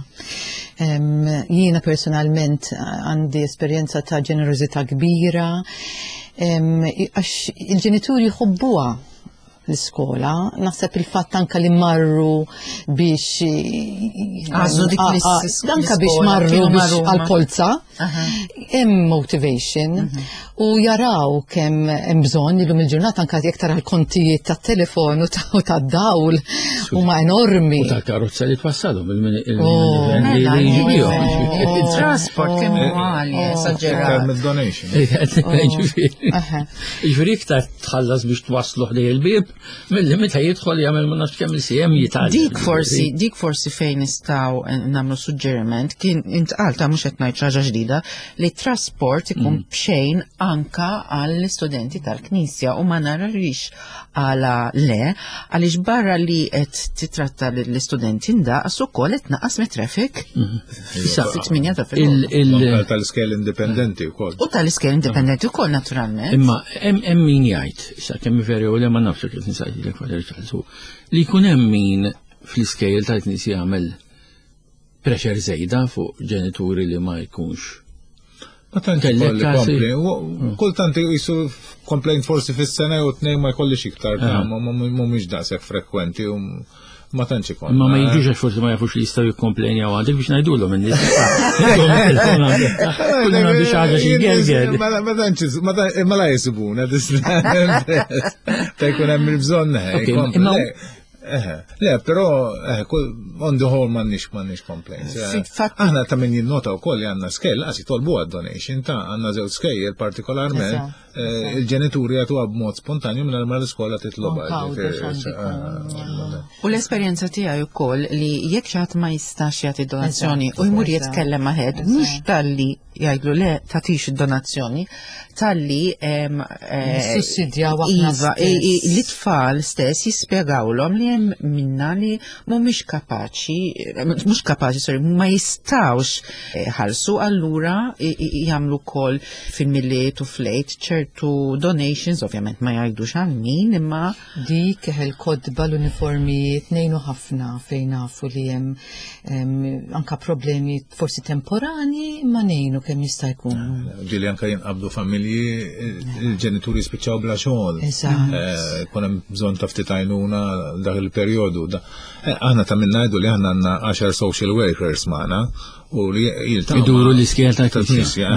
S5: Jiena personalment għandi esperjenza ta' ġenerożità kbira, għax il-ġenituri jħobbuha l-iskola, naħseb il-fatt anka li marru biex
S3: Għażlu dik
S5: anka biex marru biex għal-polza, hemm motivation mhm. u jaraw kemm hemm bżonn illum il-ġurnata anka jekk tara l-kontijiet tat-telefon u tad-dawl huma enormi.
S2: U tal-karozza li twassalhom
S3: oh. Il-trasport kemm huwa għali, oh. esaġerat.
S4: Donation.
S2: Ġifieri iktar tħallas biex twaslu ħdej il-bieb, milli meta jidħol jagħmel ma nafx kemm il-siem jitgħallem.
S3: Dik forsi, dik forsi fejn nistgħu eh, nagħmlu suġġeriment kien intqal ta' mhux qed ngħid ħaġa ġdida li trasport ikun mm. bxejn anka għall-istudenti tal-Knisja u ma nararix għala le għaliex barra li qed titratta l-istudenti ndaqs ukoll qed naqas mit-traffic. Mm. Fit-tminja ta'
S4: filgħodu. Tal-iskejl indipendenti wkoll.
S3: U tal-iskejl indipendenti wkoll naturalment.
S2: Imma hemm min jgħid, issa kemm veru u le ma nafx kif nsaqsilek Father Charles, li jkun hemm min fl-iskejl tal-Knisja jagħmel pressure żejda fuq ġenituri li ma jkunx
S4: Ma tantx ikolli kompli. Mm. Kultant jisu complaint forsi fis-sena jew tnejn ma jkollix iktar, ah. mhumiex daqshekk frekwenti u ma tantx ikon.
S2: Ma ma jiġux għax forsi ma jafux li jistgħu jikkomplejnjaw għandek biex ngħidulhom in-nies. Kull għandu xi ħaġa xi gerger.
S4: Ma tantx ma la jisibuna Ta' jkun hemm il-bżonn. Eh, le, però eh, on the whole m'għandniex m'għandniex complaints. Eh. Aħna ta' min jinnota wkoll li għandna skejl, għas jitolbu għad donation ta' għandna żewġ skejjel partikolarment il-ġenituri jagħtuha b'mod spontanju minn ma l-iskola titlobha.
S3: U l-esperjenza tiegħi wkoll li jekk xi ħadd ma jistax jagħti donazzjoni u jmur jitkellem ma' head, mhux talli jgħidlu le tagħtix id-donazzjoni, talli eh,
S5: Sussidjaw aħna
S3: Iva, li tfal stess jispjegawlhom li hemm minna li mhumiex kapaċi, eh, mhux kapaċi, sorry, ma jistgħux eh, ħalsu allura jagħmlu wkoll fil-miliet u flejt ċertu donations, ovvjament ma jgħidux għal min, imma
S5: Dik il-kotba l-uniformijiet ngħinu ħafna fejn nafu li hemm anka problemi forsi temporani imma ngħinu kemm jista' jkun.
S4: Ġieli anka jinqabdu familji il-ġenituri spiċċaw bla xogħol. Eh, kun hemm bżonn ta' ftit għajnuna dak il-perjodu. Eh, aħna ta' minn ngħidu li aħna għandna 10 social workers magħna u li
S2: jiltaqgħu. Iduru l-iskejjel tal-Knisja.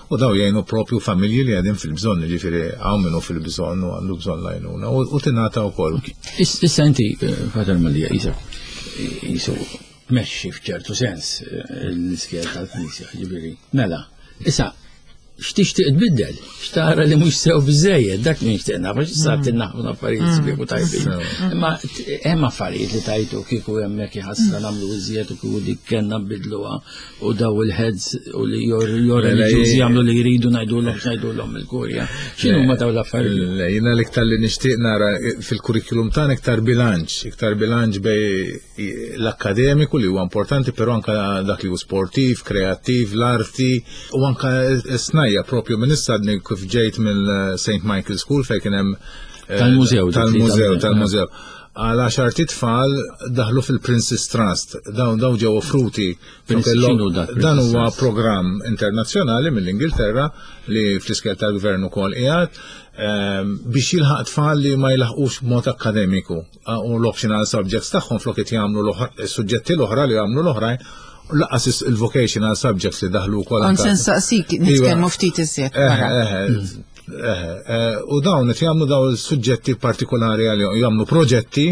S4: U daw jgħinu propju familji li għadin fil-bżonn, ġifieri hawn minnu fil-bżonn u għandu bżonn l-għajnuna u tingħata wkoll.
S2: Issa inti, eh, Father Mallia, jisu tmexxi f'ċertu sens eh, l-iskejjel tal-Knisja, ġifieri. Mela, issa x'tixtieq tbiddel, x'tara li mhux sew biżejjed, dak li nixtieq naf, għax issa mm. naħu affarijiet mm. sbieħ u tajbin. Mm. Imma hemm affarijiet li tajtu kieku hemmhekk iħassra nagħmlu iżjed u kieku dik kellna nbidluha u daw il-heads u li jor reliġjużi jagħmlu li jridu ngħidulhom x'ngħidulhom il-kurja. X'inhu ma daw l-affarijiet?
S4: Jiena l-iktar li nixtieq nara fil-kurrikulum tagħna iktar bilanċ, iktar bilanċ bej l-akkademiku li huwa importanti, però anka dak li hu sportiv, kreattiv, l-arti u anka snajja propju minn issa kif ġejt mill St. Michael School fejn kien hemm
S2: eh, tal-mużew
S4: tal-mużew tal-mużew. Għal għaxar titfal daħlu fil-Princess Trust, dawn dawn ġew offruti. Dan huwa programm internazzjonali mill-Ingilterra li fl-iskel tal-gvern ukoll qiegħed eh, biex jilħaq tfal li ma jilħqux b'mod akkademiku. u l-optional subjects tagħhom flok qed jagħmlu s-suġġetti l-oħra li jagħmlu l-oħrajn laqas il-vocational subjects li daħlu wkoll.
S3: Kont se nsaqsik iva. nitkellmu ftit iżjed.
S4: Eh, eh, eh, u dawn qed jagħmlu dawn is-suġġetti partikolari għalihom, jagħmlu proġetti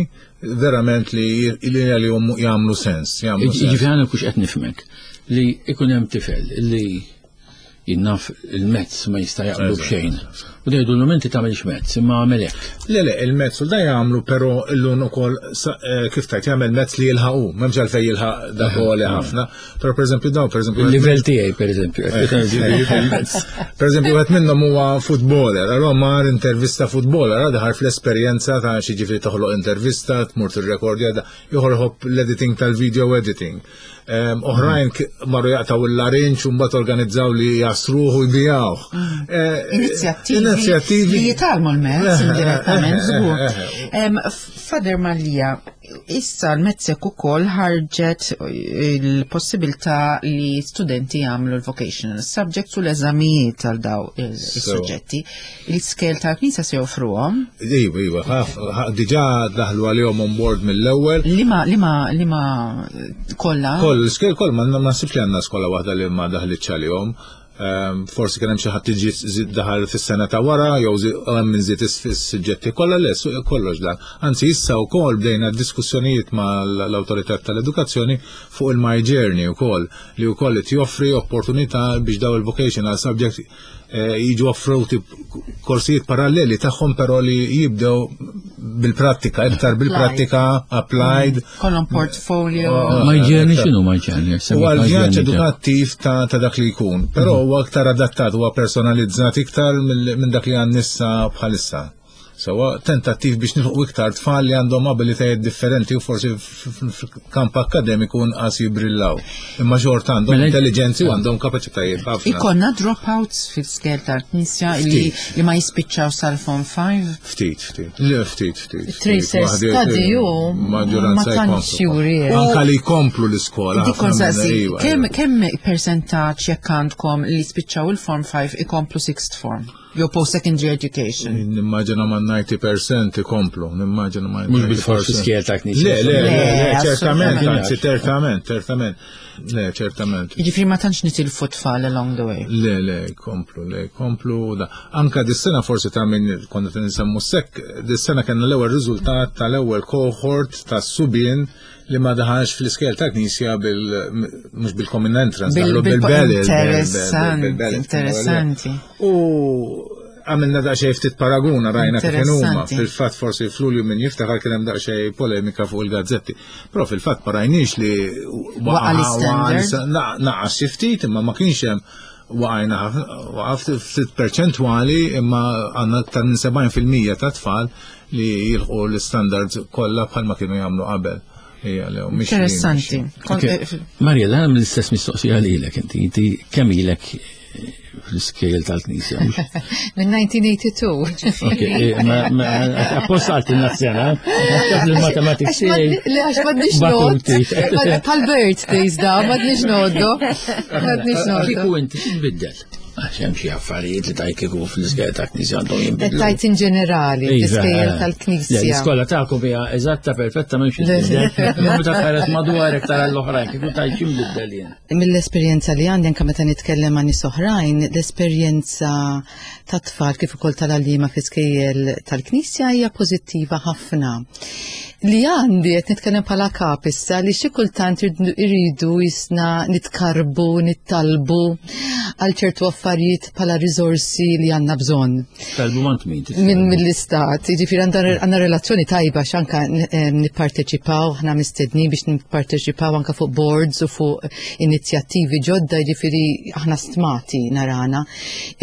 S4: verament li għalihom jagħmlu sens.
S2: Jiġifieri għandek kux qed nifhmek li ikun hemm tifel li Jien naf il-mezz ma jista' jaqblu b'xejn. U jgħidulhom inti tagħmilx mezz, imma għamel hekk.
S4: Le, le, il-mezz u da jagħmlu però illum ukoll eh, kif tajt jagħmel mezz li jilħaqu, m'hemmx għalfejn jilħaq dak li ħafna. Però pereżempju dawn pereżempju.
S2: Il-livell tiegħi pereżempju.
S4: Eh, eh, pereżempju wieħed minnhom huwa footballer, allura mar intervista footballer, għadha daħal fl-esperjenza ta' xi ġifieri toħloq intervista, tmur tirrekordja, ieħor l-editing tal-video editing. Oħrajn marru jaqtaw il-larinċ u mbagħad organizzaw li jasruħu jbijawh.
S3: Mm. Eh, inizjattivi. Inizjattivi. Li jitalmu l-mezz eh, eh, indirettament żgur. Fader Mallia, issa l-mezzek ukoll ħarġet il-possibilità li studenti jagħmlu l-vocational subjects u l-eżamijiet għal daw il-suġġetti. Il-skel tal-Knisja se joffruhom?
S4: Iva, iva, diġà daħlu għalihom on board mill-ewwel.
S3: Lima, lima, lima kollha?
S4: Koll, l-skel koll, ma naħsibx li għandna skola waħda li ma daħlitx għalihom. Ehm, forsi kien hemm xi ħadd iġi daħal fis-sena ta' wara jew hemm min żied is-suġġetti kollha le kollox dan. Anzi issa wkoll bdejna diskussjonijiet mal-awtorità tal-edukazzjoni fuq il-My Journey wkoll li wkoll qed joffri opportunità biex daw il-vocational subject Eh, jiġu offruti korsijiet paralleli tagħhom però li jibdew bil-prattika, iktar bil-prattika, applied. Mm.
S3: Kollhom portfolio.
S2: Oh, ma jġerni x'inhu ma jġerni?
S4: Huwa l-vjaġġ edukattiv ta' dak li jkun, però mm. huwa aktar adattat, huwa personalizzat iktar minn dak li għan nissa bħalissa. Sewa tentattiv biex nilħu iktar tfal li għandhom abilitajiet differenti u forsi fil-kamp akademiku nqas jibrillaw. Imma xorta għandhom mela intelligenzi u għandhom kapaċitajiet
S3: ħafna. Ikonna dropouts fil-skel tal-Knisja li, li ma jispiċċaw sal-Form 5?
S4: Ftit, ftit. Le, ftit, ftit.
S5: Tracer study u ma tantx juri.
S4: Anka li jkomplu l-iskola.
S3: Dik kemm kemm percentaġġ jekk għandkom li spiċċaw il-Form 5 ikomplu sixth form? Jew post-secondary education.
S4: Nimmaġina ma' 90% ikomplu, nimmaġina ma'
S2: Mhux bil-forsi skjel ta' knisja.
S4: Le, le, le, ċertament, anzi, ċertament, ċertament. Le, ċertament.
S3: Jiġifieri ma tantx nitilfu tfal along the way.
S4: Le, le, komplu, le, komplu. Da. Anka dis-sena forsi ta' min konna tinsemmu sekk, dis-sena kellna l-ewwel riżultat tal-ewwel cohort ta' subien li ma daħalx fl-iskel ta' knisja bil mhux bil-common entrance,
S3: daħlu bil-bell. Interessanti, interessanti.
S4: U għamilna daqsxejn ftit paraguna rajna kif huma. Fil-fatt forsi f'Lulju min jiftakar kien hemm daqsxejn polemika fuq il-gazzetti. Però fil-fatt ma rajniex li
S3: waqa' l-istandard.
S4: Naqas xi ftit imma ma kienx hemm waqajna waqaf ftit perċentwali imma għandna aktar minn 70% ta' tfal li jilħqu l-standards kollha bħalma kienu jagħmlu qabel.
S3: Interessanti.
S2: Eh, Marja, dan l-istess mistoqsija lilek inti, inti kemm ilek eh, fl-iskejl tal-Knisja.
S5: Minn 1982.
S2: Eh, apposta għalt il-nazzjana, taf li l-matematik
S5: tiegħi. Le għax m'għandniex nod. Bħal birthdays da, m'għandniex noddu. M'għandniex noddu.
S2: Kieku inti x'inbiddel? Għax hemm xi affarijiet li tajt kieku fl-iskejjel tal-Knisja għandhom jinbidlu.
S5: Tajt in ġenerali, iva, fl-iskejjel eh. tal-Knisja.
S2: L-iskola tagħkom hija eżatta perfetta m'hemmx inbiddel. Meta tħares madwarek tara l-oħrajn kieku tajt x'inbiddel jien.
S5: Mill-esperjenza li għandi anke meta nitkellem ma' nies oħrajn, l-esperjenza tat-tfal kif ukoll tal-għalliema fl-iskejjel tal-Knisja hija pożittiva ħafna. Li għandi qed nitkellem bħala kap issa li xi kultant irridu jisna nitkarbu, nittalbu għal ċertu affarijiet bħala riżorsi li għandna bżonn.
S2: Talbu mant min?
S5: Minn mill-istat, jiġifieri għandna relazzjoni tajba x'anka eh, nipparteċipaw, aħna mistednin biex nipparteċipaw anka fuq boards u fuq inizjattivi ġodda, jiġifieri aħna stmati narana.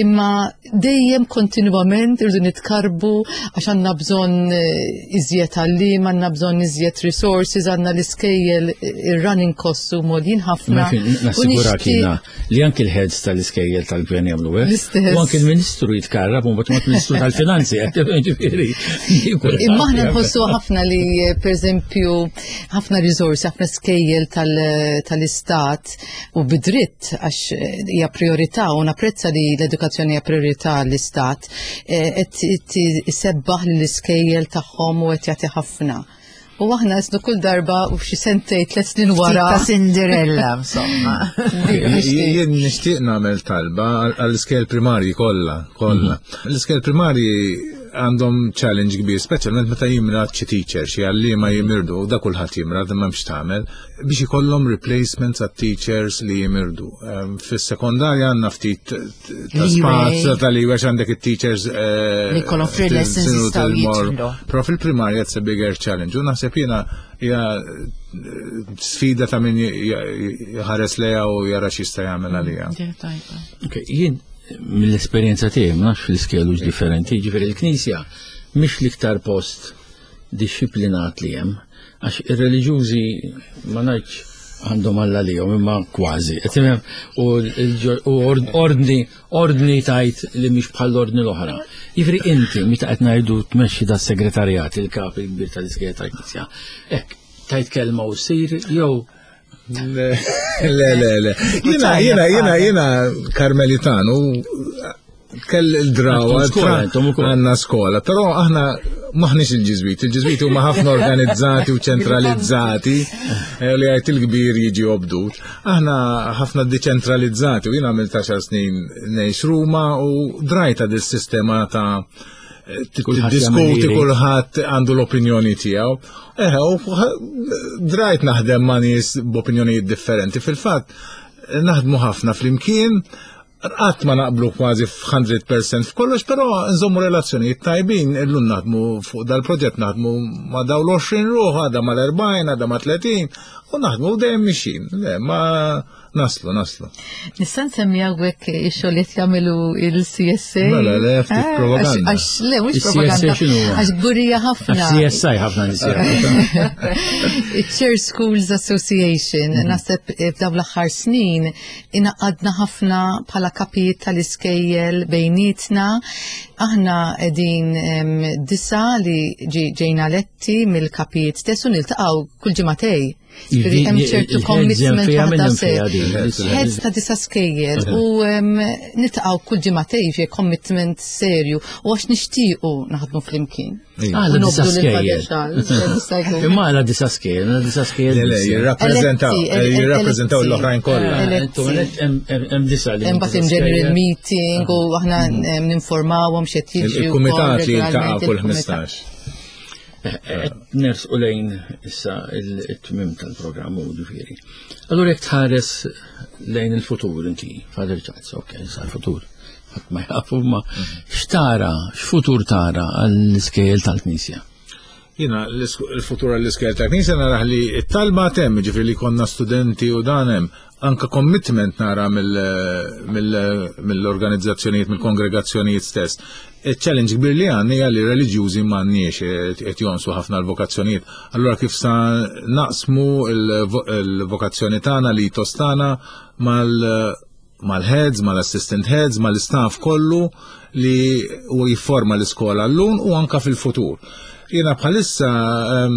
S5: Imma dejjem kontinwament irridu nitkarbu għax għandna bżonn eh, iżjed għalliem, għandna bżonn iżjed resources, għandna l-iskejjel eh, ir-running costs u molin ħafna.
S2: Nassigurak jiena li anki l-heads tal-iskejjel tal-gvern jagħmlu hekk. U anki l-Ministru jitkarrab u mbagħad ministru tal-Finanzi ġifieri.
S5: Imma aħna nħossu ħafna li eh, pereżempju ħafna risorsi, ħafna skejjel tal-istat u bidritt għax eh, hija priorità u napprezza li l-edukazzjoni hija priorità l-istat eh, qed isebbaħ lill-iskejjel tagħhom u qed jagħti ħafna. U aħna isnu kull darba u xi sentej tliet snin wara.
S3: Ta' Cinderella, insomma.
S4: Jien nixtieq nagħmel talba għall-iskejjel primarji kollha, kollha. Mhm. L-iskejjel primarji għandhom challenge kbir, speċjalment meta jimrad xi teacher, xi għalliema jimirdu, da kulħadd jimrad imma m'hemmx tagħmel, biex ikollhom replacements għat teachers li jimirdu. Ehm, fis-sekondarja għandna ftit ta' spazju tal-leeway għandek it-teachers
S3: eh, li jkollhom free lessons jistgħu jidħlu.
S4: Però fil-primarja it's a bigger challenge. U naħseb jiena hija eh, sfida ta' min jħares lejha u jara x'jista' jagħmel għaliha.
S2: Jien mill-esperjenza tiegħi ma nafx fl-iskelu differenti, ġifieri l-Knisja mhix l-iktar post dixxiplinat li hemm, għax ir-reliġjużi ma ngħidx għandhom alla lihom imma kważi. U ordni ordni tajt li mhix bħal ordni l-oħra. Jiġifieri inti meta qed ngħidu tmexxi da segretarjat il-kap il-kbir tal-iskejjel tal-Knisja. Hekk tajt kelma u ssir jew
S4: Le, le, le. Jena, jena, jena, jena karmelitan u kell il-drawa għanna skola, pero aħna maħniex il-ġizwit, il-ġizwit huma ħafna organizzati u ċentralizzati eh, li għajt il-kbir jiġi obdut. Aħna ħafna deċentralizzati u jina għamil 10 snin ngħix Ruma u drajta dis-sistema ta' Diskuti kulħadd għandu l-opinjoni tiegħu. Eħe, u drajt naħdem ma' nies b'opinjonijiet differenti. Fil-fatt, naħdmu ħafna flimkien, qatt ma naqblu kważi f'100% f'kollox, però nżommu relazzjonijiet tajbin, illum naħdmu fuq dal-proġett naħdmu ma' daw l-20 ruħ, għada ma' l-40, għada ma' 30, u naħdmu dejjem mixin. Le, ma' Naslu, naslu.
S5: Nista' nsemmi hawnhekk ix-xogħol qed jagħmlu il-CSA.
S4: Mela, le, ftit eh, propaganda.
S5: Għax le, mhux propaganda. Għax gburija ħafna.
S2: CSI ħafna nies.
S5: Chair Schools Association, mhm. naħseb eh, f'dawn l-aħħar snin inaqadna ħafna bħala kapijiet tal-iskejjel bejnietna. Aħna qegħdin disa li ġejna letti mill-kapijiet stess u niltaqgħu kull ġimagħtej. Ġifieri hemm ċertu commitment waħda se. Heads ta' disa skejjel u nitqgħu kull ġimgħatej fi commitment serju u għax nixtiequ naħdmu flimkien.
S2: Għala disa skejjel. Imma għala disa skejjel, għala disa skejjel.
S4: Le, jirrappreżentaw, eh, jirrappreżentaw l-oħrajn kollha.
S2: Hemm disa li.
S5: Imbagħad hemm general meeting u aħna ninformawhom x'qed
S4: jiġri. Il-kumitat li jiltaqa' kull 15.
S2: Ners u lejn issa il-tmim tal-programm u ġifieri. Allura jekk tħares lejn il-futur inti, Father Charles, ok, issa l-futur. Ħadd ma jafu ma x'tara, x'futur tara għall-iskejjel tal-Knisja?
S4: Jina, il-futur għall-iskejjel tal-Knisja naraħ li t-talba temm, ġifieri li konna studenti u dan hemm, anka commitment nara mill-organizzazzjonijiet, mill-kongregazzjonijiet stess. Il-challenge kbir li għandna hija li reliġjużi m'għandniex qed jonsu ħafna l-vokazzjonijiet. Allura kif sa naqsmu l-vokazzjoni tagħna li tostana mal-heads, mal-assistant heads, mal-istaff kollu li u jifforma l-iskola l-lum u anka fil-futur. Jiena bħalissa ehm,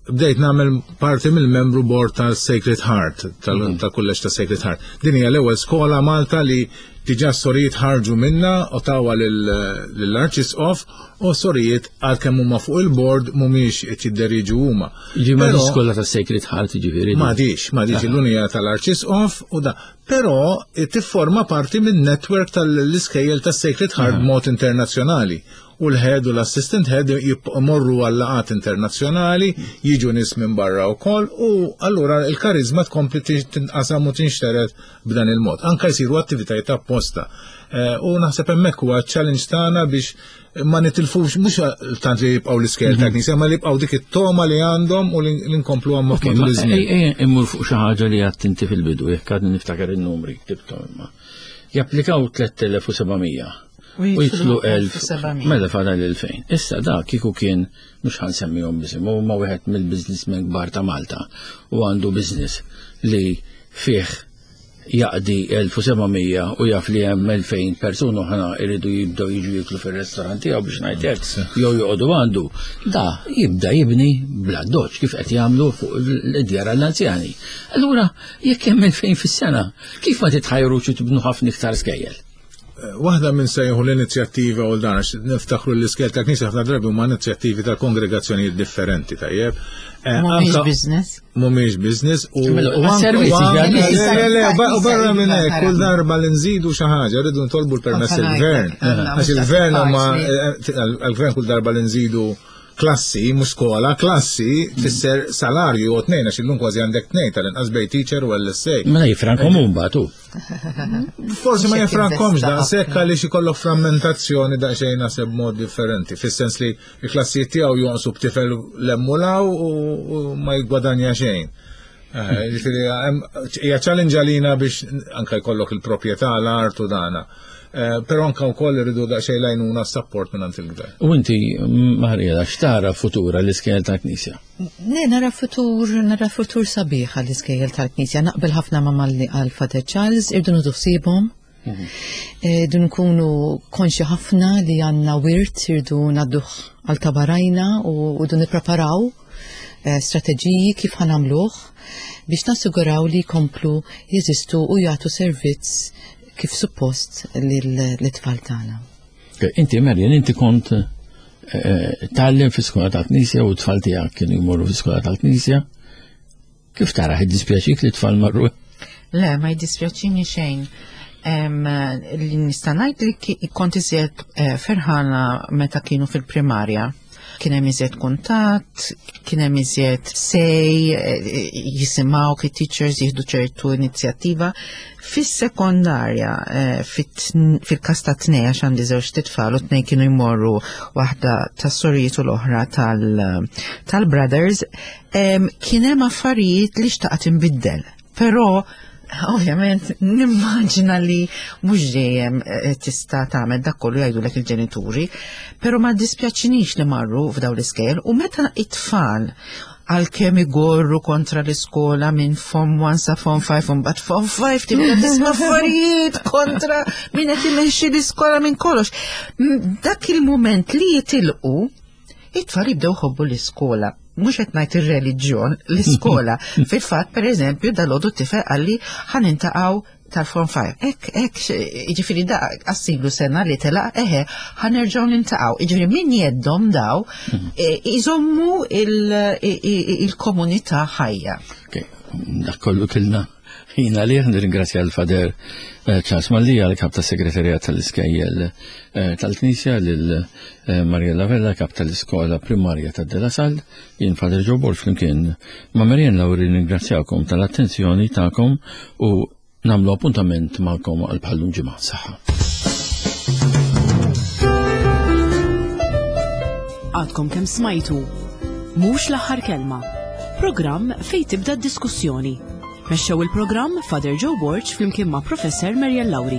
S4: bdejt nagħmel parti mill-membru board ta' Sacred Heart, mhm. tal-kulleġġ ta' Sacred Heart. Din hija l-ewwel skola Malta li diġà sorijiet ħarġu minna u tawa lill-Arċisqof u sorijiet għalkemm huma fuq il-board mhumiex qed jidderiġu huma.
S2: Ġi ma skola ta' Sacred Heart ġifieri.
S4: M'għadix, m'għadix l-unija tal-Arċisqof u da. Però tifforma parti minn network tal-iskejjel ta' Sacred Heart mhm. mod internazzjonali u l-head u l-assistant head jmorru għal laqgħat internazzjonali, jiġu nies minn barra wkoll u allura l-karizma tkompli tinqasam u tinxtered b'dan il-mod. Anka jsiru attivitajiet apposta. Eh, u naħseb hemmhekk huwa challenge tagħna biex ma nitilfux mhux tant li jibqgħu l-iskejl ta' mhm. knisja, ma li jibqgħu dik it-toma li għandhom u li nkomplu għamma matul
S2: iż-żmien. Immur fuq xi ħaġa li għadt inti fil-bidu, jekk għadni niftakar in-numri ktibthom imma. Japplikaw 3700 U jitlu 1700. Mela fadal 2000. Issa da kieku kien mhux ħansemmihom bisim, huma wieħed mill-businessmen kbar ta' Malta u għandu business li fih jaqdi 1700 u jaf li hemm 2000 persuna oħra jridu jibdew jiġu jiklu fir-restorant tiegħu biex ngħid hekk jew joqogħdu għandu. Da jibda jibni bla doċ kif qed jagħmlu fuq l-djar għall-anzjani. Allura jekk hemm 2000 fis-sena, kif ma titħajrux tibnu ħafna iktar skejjel?
S4: Waħda minn sejħu l-inizjattiva u dan, għax niftakru l-iskel ta' knisja ħafna drabi huma inizjattivi ta' kongregazzjonijiet differenti, tajjeb.
S3: Eh, mhumiex business.
S4: Mhumiex business u u barra minn hekk kull darba li nżidu xi ħaġa rridu ntolbu l-permess il-gvern. Għax il-gvern huma eh, għall-gvern kull darba li nżidu klassi, mhux skola, klassi tfisser salarju u tnejn għax illum kważi għandek tnejn tal-inqas bej teacher u LSA.
S2: Mela jifrankom mbagħad hu.
S4: Forsi ma jifrankomx daqshekk għaliex ikollok frammentazzjoni daqsxejn naħseb mod differenti, fis-sens li l-klassijiet tiegħu jonqsu b'tifel l-emmulaw u ma jgwadanja xejn. Eh, ġifieri hija challenge għalina biex anke jkollok il-proprjetà l-art u dana. Eh, però anke wkoll irridu daqsxejn lajnuna support minn il-gvern.
S2: U inti Marjela x'tara futura l-iskejjel tal-Knisja?
S5: Ne, nara futur, nara futur sabiħ għall-iskejjel tal-Knisja. Naqbel ħafna ma' malli għal Father Charles, irdu nudu ħsiebhom. Mhm. Eh, irdu nkunu konxi ħafna li għandna wirt, irdu nadduh għal tabarajna u irdu nippreparaw eh, strateġiji kif ħanamluh biex nassiguraw li jkomplu jeżistu u jagħtu servizz kif suppost l-tfal tagħna.
S2: Inti Marian, inti kont eh, tgħallem fi skola tal-Knisja u t-tfal tiegħek kienu jmorru fi skola tal-Knisja. Kif tara jiddispjaċik li t-tfal marru?
S3: Le, ma jiddispjaċini xejn. Li nista' ngħid li kont iżjed eh, ferħana meta kienu fil-primarja Kien hemm iżjed kuntatt, kien hemm iżjed sej, eh, jisimgħu kit teachers jieħdu ċertu inizjattiva. Fis-sekondarja, eh, fil-każ ta' tnej għax għandi żewġ titfal u tnej kienu jmorru waħda tas-sorijiet u l-oħra tal-brothers, kien hemm affarijiet li xtaqt inbiddel. Però ovvjament nimmaġina li mhux dejjem eh, tista' tagħmel dak kollu jgħidulek il-ġenituri, però ma dispjaċinix li marru f'daw l-iskejjel u meta it-tfal għalkemm igorru kontra l-iskola minn fom 1 sa fom 5 un bat fom 5 tibda tisma' affarijiet kontra min qed imexxi l-iskola minn kollox. Dak il-mument li jitilqu it-tfal jibdew jħobbu l-iskola. Mhux qed ngħid ir-reliġjon, l-iskola. Fil-fatt, pereżempju, dal-għodu tifel qalli ħa nintaqgħu tal-Form 5. Ek, ek, jiġifieri da għassilu sena li telaq, eħe, ħa nerġgħu nintaqgħu. Jiġifieri min jeddhom daw mhm. e, iżommu il-komunità ħajja.
S2: Dak kollu kilna Jien għalih nirringrazzja l-Fader eh, Charles Mallia, l-kap ta' segretarjat tal-iskejjel eh, tal-Knisja, lil eh, Mariella Vella, kap tal-iskola primarja ta' De La Salle, jien Fader Joe Borg flimkien ma' Marianne Lauri nirringrazzjakom tal-attenzjoni tagħkom u nagħmlu appuntament magħkom għal bħallum ġimgħa. Saħħa.
S1: Għadkom kemm smajtu Mhux l-aħħar kelma. Programm fejn tibda d-diskussjoni. Mexxew il-programm Father Joe Borg flimkien ma' Professor Mariel Lauri.